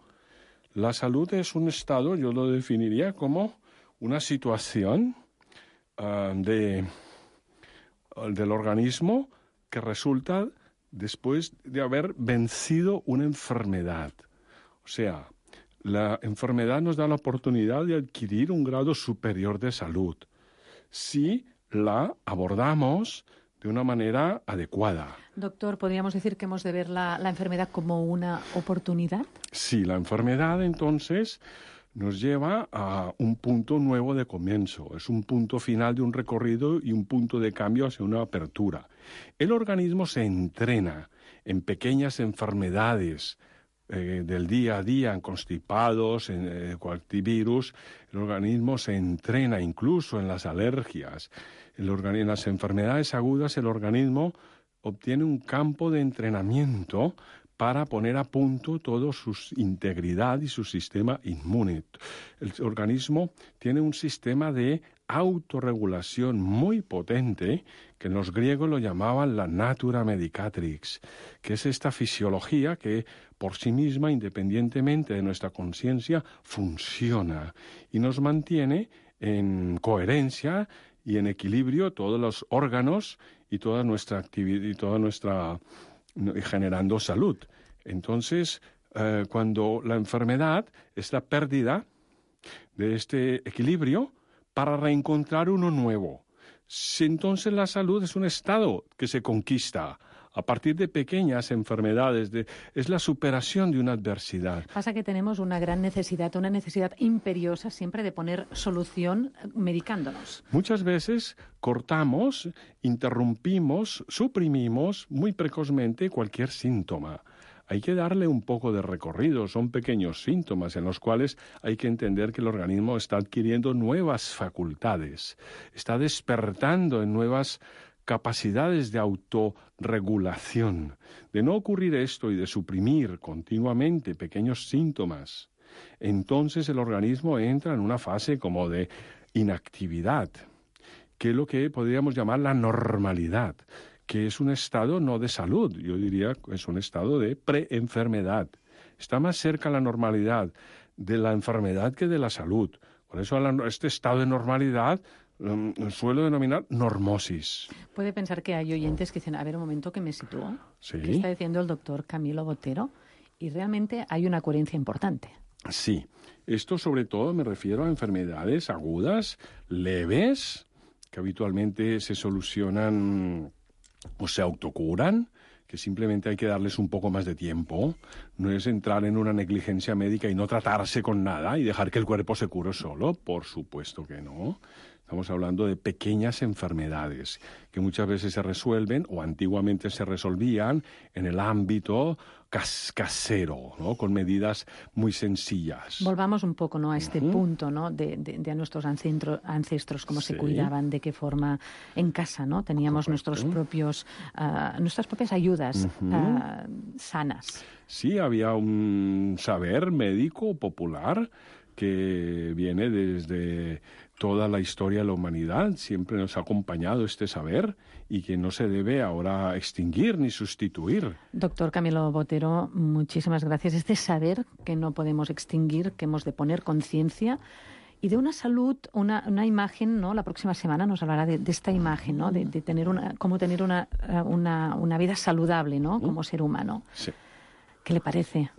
La salud es un estado, yo lo definiría como una situación uh, de, uh, del organismo que resulta después de haber vencido una enfermedad. O sea, la enfermedad nos da la oportunidad de adquirir un grado superior de salud si la abordamos de una manera adecuada. Doctor, ¿podríamos decir que hemos de ver la, la enfermedad como una oportunidad? Sí, la enfermedad entonces nos lleva a un punto nuevo de comienzo. Es un punto final de un recorrido y un punto de cambio hacia una apertura. El organismo se entrena en pequeñas enfermedades eh, del día a día, en constipados, en eh, cualquier virus. El organismo se entrena incluso en las alergias. El organi- en las enfermedades agudas el organismo obtiene un campo de entrenamiento para poner a punto toda su integridad y su sistema inmune. El organismo tiene un sistema de autorregulación muy potente, que los griegos lo llamaban la natura medicatrix, que es esta fisiología que por sí misma, independientemente de nuestra conciencia, funciona y nos mantiene en coherencia y en equilibrio todos los órganos y toda nuestra actividad y toda nuestra generando salud. Entonces, eh, cuando la enfermedad es la pérdida de este equilibrio para reencontrar uno nuevo. Si entonces la salud es un estado que se conquista a partir de pequeñas enfermedades, de, es la superación de una adversidad. Pasa que tenemos una gran necesidad, una necesidad imperiosa siempre de poner solución medicándonos. Muchas veces cortamos, interrumpimos, suprimimos muy precozmente cualquier síntoma. Hay que darle un poco de recorrido, son pequeños síntomas en los cuales hay que entender que el organismo está adquiriendo nuevas facultades, está despertando en nuevas capacidades de autorregulación. De no ocurrir esto y de suprimir continuamente pequeños síntomas, entonces el organismo entra en una fase como de inactividad, que es lo que podríamos llamar la normalidad, que es un estado no de salud, yo diría que es un estado de preenfermedad. Está más cerca la normalidad de la enfermedad que de la salud. Por eso este estado de normalidad um, suelo denominar normosis. Puede pensar que hay oyentes que dicen, a ver un momento que me sitúo, ¿Sí? ¿Qué está diciendo el doctor Camilo Botero? Y realmente hay una coherencia importante. Sí, esto sobre todo me refiero a enfermedades agudas, leves, que habitualmente se solucionan o se autocuran, que simplemente hay que darles un poco más de tiempo. No es entrar en una negligencia médica y no tratarse con nada y dejar que el cuerpo se cure solo, por supuesto que no. Estamos hablando de pequeñas enfermedades que muchas veces se resuelven o antiguamente se resolvían en el ámbito cas casero, ¿no? Con medidas muy sencillas. Volvamos un poco, ¿no?, a este Uh-huh. punto, ¿no?, de, de, de a nuestros ancestros, ancestros cómo Sí. se cuidaban, de qué forma en casa, ¿no? Teníamos Correcto. nuestros propios, uh, nuestras propias ayudas Uh-huh. uh, sanas. Sí, había un saber médico popular que viene desde toda la historia de la humanidad. Siempre nos ha acompañado este saber y que no se debe ahora extinguir ni sustituir. Doctor Camilo Botero, muchísimas gracias. Este saber que no podemos extinguir, que hemos de poner conciencia y de una salud, una, una imagen, ¿no? La próxima semana nos hablará de, de esta imagen, ¿no? De, de tener una, cómo tener una, una, una vida saludable, ¿no? Como ser humano. Sí. ¿Qué le parece?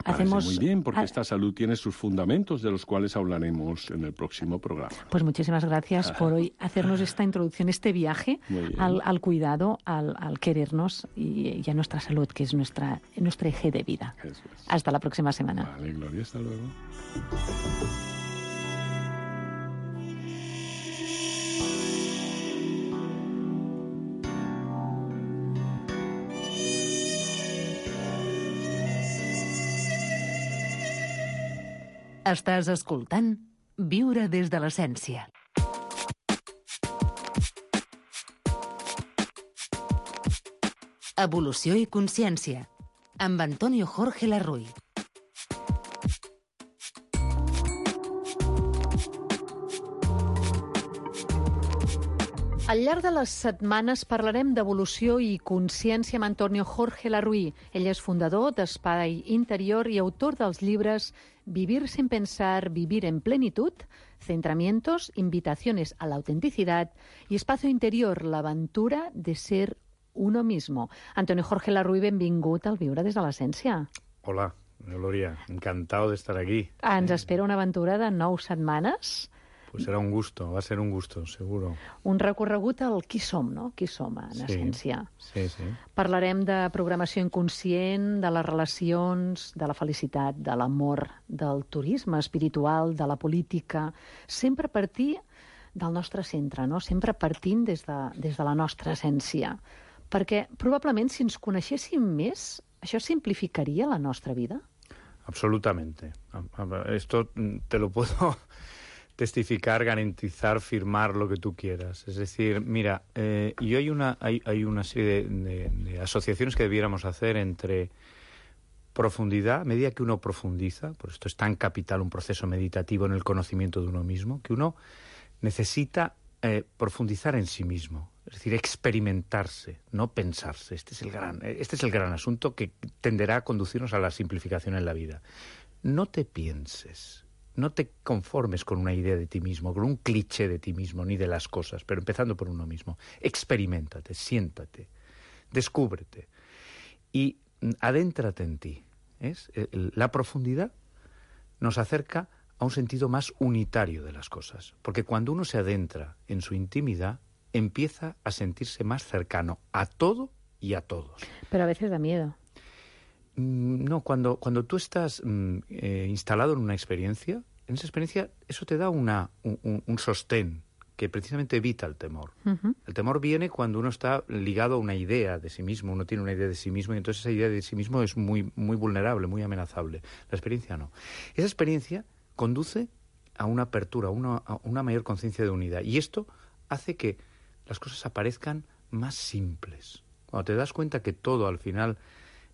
Parece Hacemos muy bien, porque ah, esta salud tiene sus fundamentos de los cuales hablaremos en el próximo programa. Pues muchísimas gracias por hoy hacernos esta introducción, este viaje Muy bien. al, al cuidado, al, al querernos y, y a nuestra salud, que es nuestra, nuestro eje de vida. Eso es. Hasta la próxima semana. Vale, Gloria, hasta luego. Estàs escoltant Viure des de l'essència. Evolució i consciència, amb Antonio Jorge Larruy. Al llarg de les setmanes parlarem d'evolució i consciència amb Antonio Jorge Larruy. Ell és fundador d'Espai Interior i autor dels llibres Vivir sin pensar, vivir en plenitud, Centramientos, Invitaciones a la autenticidad y Espacio Interior, l'aventura de ser uno mismo. Antonio Jorge Larruy, benvingut al Viure des de l'essència. Hola, Gloria, encantado de estar aquí. Ens espera una aventura de nou setmanes. Pues será un gusto, va a ser un gusto, seguro. Un recorregut al qui som, no? Qui som, en Sí. essència. Sí, sí. Parlarem de programació inconscient, de les relacions, de la felicitat, de l'amor, del turisme espiritual, de la política, sempre a partir del nostre centre, no? Sempre partint des de, des de la nostra essència. Perquè probablement si ens coneixéssim més, això simplificaria la nostra vida? Absolutamente. Esto te lo puedo testificar, garantizar, firmar lo que tú quieras. Es decir, mira, eh, y hay una, hay, hay una serie de, de, de asociaciones que debiéramos hacer entre profundidad, a medida que uno profundiza, por esto es tan capital un proceso meditativo en el conocimiento de uno mismo, que uno necesita eh, profundizar en sí mismo, es decir, experimentarse, no pensarse. Este es el gran, este es el gran asunto que tenderá a conducirnos a la simplificación en la vida. No te pienses. No te conformes con una idea de ti mismo, con un cliché de ti mismo, ni de las cosas, pero empezando por uno mismo. Experiméntate, siéntate, descúbrete y adéntrate en ti. ¿Es? La profundidad nos acerca a un sentido más unitario de las cosas, porque cuando uno se adentra en su intimidad, empieza a sentirse más cercano a todo y a todos. Pero a veces da miedo. No, cuando, cuando tú estás eh, instalado en una experiencia, en esa experiencia eso te da una, un, un sostén que precisamente evita el temor. Uh-huh. El temor viene cuando uno está ligado a una idea de sí mismo, uno tiene una idea de sí mismo y entonces esa idea de sí mismo es muy, muy vulnerable, muy amenazable. La experiencia no. Esa experiencia conduce a una apertura, a una, a una mayor conciencia de unidad y esto hace que las cosas aparezcan más simples. Cuando te das cuenta que todo al final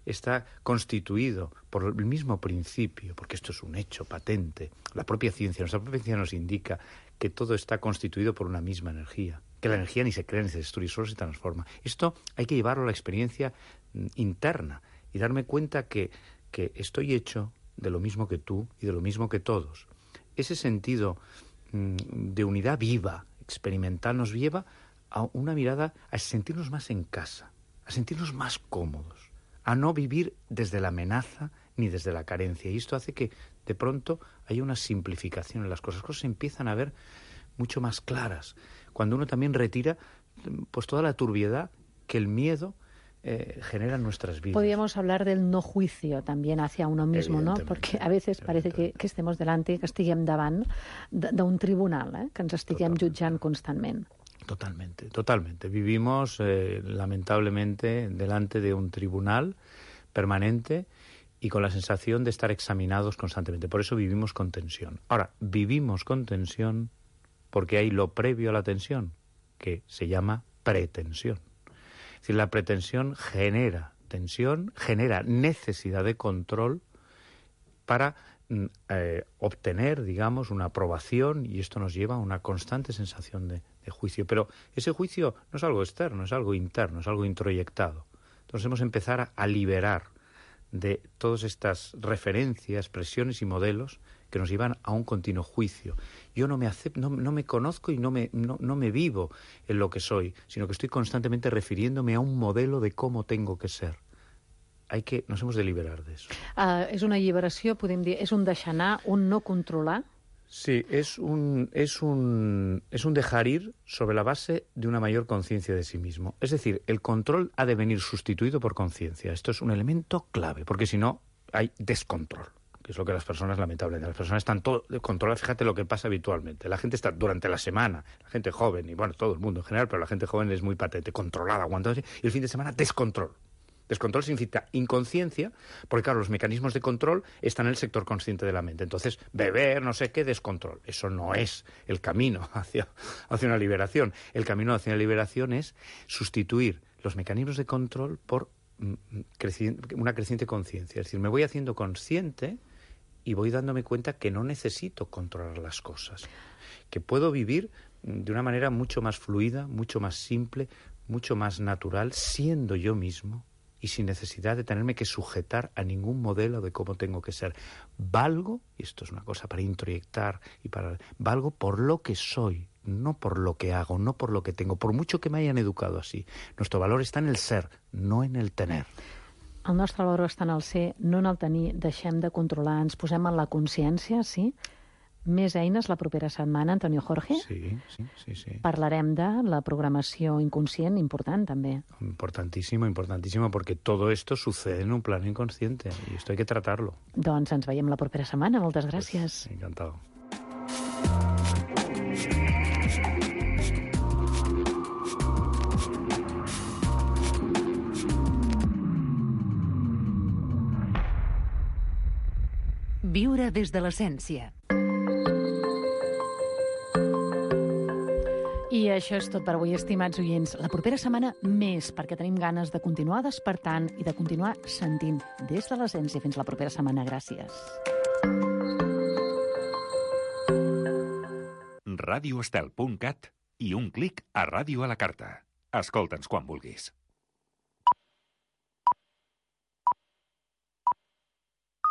está constituido por el mismo principio, porque esto es un hecho patente. La propia ciencia, nuestra propia ciencia nos indica que todo está constituido por una misma energía, que la energía ni se crea ni se destruye, solo se transforma. Esto hay que llevarlo a la experiencia interna y darme cuenta que, que estoy hecho de lo mismo que tú y de lo mismo que todos. Ese sentido mmm, de unidad viva, experimental, nos lleva a una mirada, a sentirnos más en casa, a sentirnos más cómodos, a no vivir desde la amenaza ni desde la carencia. Y esto hace que, de pronto, haya una simplificación en las cosas. Las cosas se empiezan a ver mucho más claras. Cuando uno también retira pues toda la turbiedad que el miedo eh, genera en nuestras vidas. Podríamos hablar del no juicio también hacia uno mismo, ¿no? Porque a veces parece que, que estemos delante, que estiguem davant d'un tribunal, eh? Que ens estiguem jutjant constantment. Totalmente, totalmente. Vivimos, eh, lamentablemente, delante de un tribunal permanente y con la sensación de estar examinados constantemente. Por eso vivimos con tensión. Ahora, vivimos con tensión porque hay lo previo a la tensión, que se llama pretensión. Es decir, la pretensión genera tensión, genera necesidad de control para eh, obtener, digamos, una aprobación, y esto nos lleva a una constante sensación de, de juicio. Pero ese juicio no es algo externo, es algo interno, es algo introyectado. Entonces hemos de empezar a, a liberar de todas estas referencias, presiones y modelos que nos llevan a un continuo juicio. Yo no me acepto, no, no me conozco y no me, no, no me vivo en lo que soy, sino que estoy constantemente refiriéndome a un modelo de cómo tengo que ser. Hay que, nos hemos de liberar de eso. Uh, és una alliberació, podem dir, és un deixar anar, un no controlar? Sí, es un, es un, es un dejar ir sobre la base de una mayor conciencia de sí mismo. Es decir, el control ha de venir sustituido por conciencia. Esto es un elemento clave, porque si no hay descontrol, que es lo que las personas, lamentablemente, las personas están todo controladas. Fíjate lo que pasa habitualmente. La gente está durante la semana, la gente joven, y bueno, todo el mundo en general, pero la gente joven es muy patente, controlada, aguantándose, y el fin de semana descontrol. Descontrol significa inconsciencia, porque claro, los mecanismos de control están en el sector consciente de la mente. Entonces, beber, no sé qué, descontrol. Eso no es el camino hacia, hacia una liberación. El camino hacia una liberación es sustituir los mecanismos de control por mm, creci- una creciente conciencia. Es decir, me voy haciendo consciente y voy dándome cuenta que no necesito controlar las cosas, que puedo vivir de una manera mucho más fluida, mucho más simple, mucho más natural, siendo yo mismo, y sin necesidad de tenerme que sujetar a ningún modelo de cómo tengo que ser. Valgo, y esto es una cosa para introyectar, y para valgo por lo que soy, no por lo que hago, no por lo que tengo, por mucho que me hayan educado así. Nuestro valor está en el ser, no en el tener. El nostre valor està en el ser, no en el tenir. Deixem de controlar, ens posem en la consciència, sí? Més eines la propera setmana, Antonio Jorge. Sí, sí, sí, sí. Parlarem de la programació inconscient, important també. Importantísimo, importantísimo, porque todo esto sucede en un plano inconsciente y esto hay que tratarlo. Doncs ens veiem la propera setmana. Moltes gràcies. Pues, encantado. Viure des de l'essència. I això és tot per avui, estimats oients. La propera setmana més, perquè tenim ganes de continuar despertant i de continuar sentint des de l'essència. Fins la propera setmana. Gràcies. radioestel punt cat i un clic a Ràdio a la Carta. Escolta'ns quan vulguis.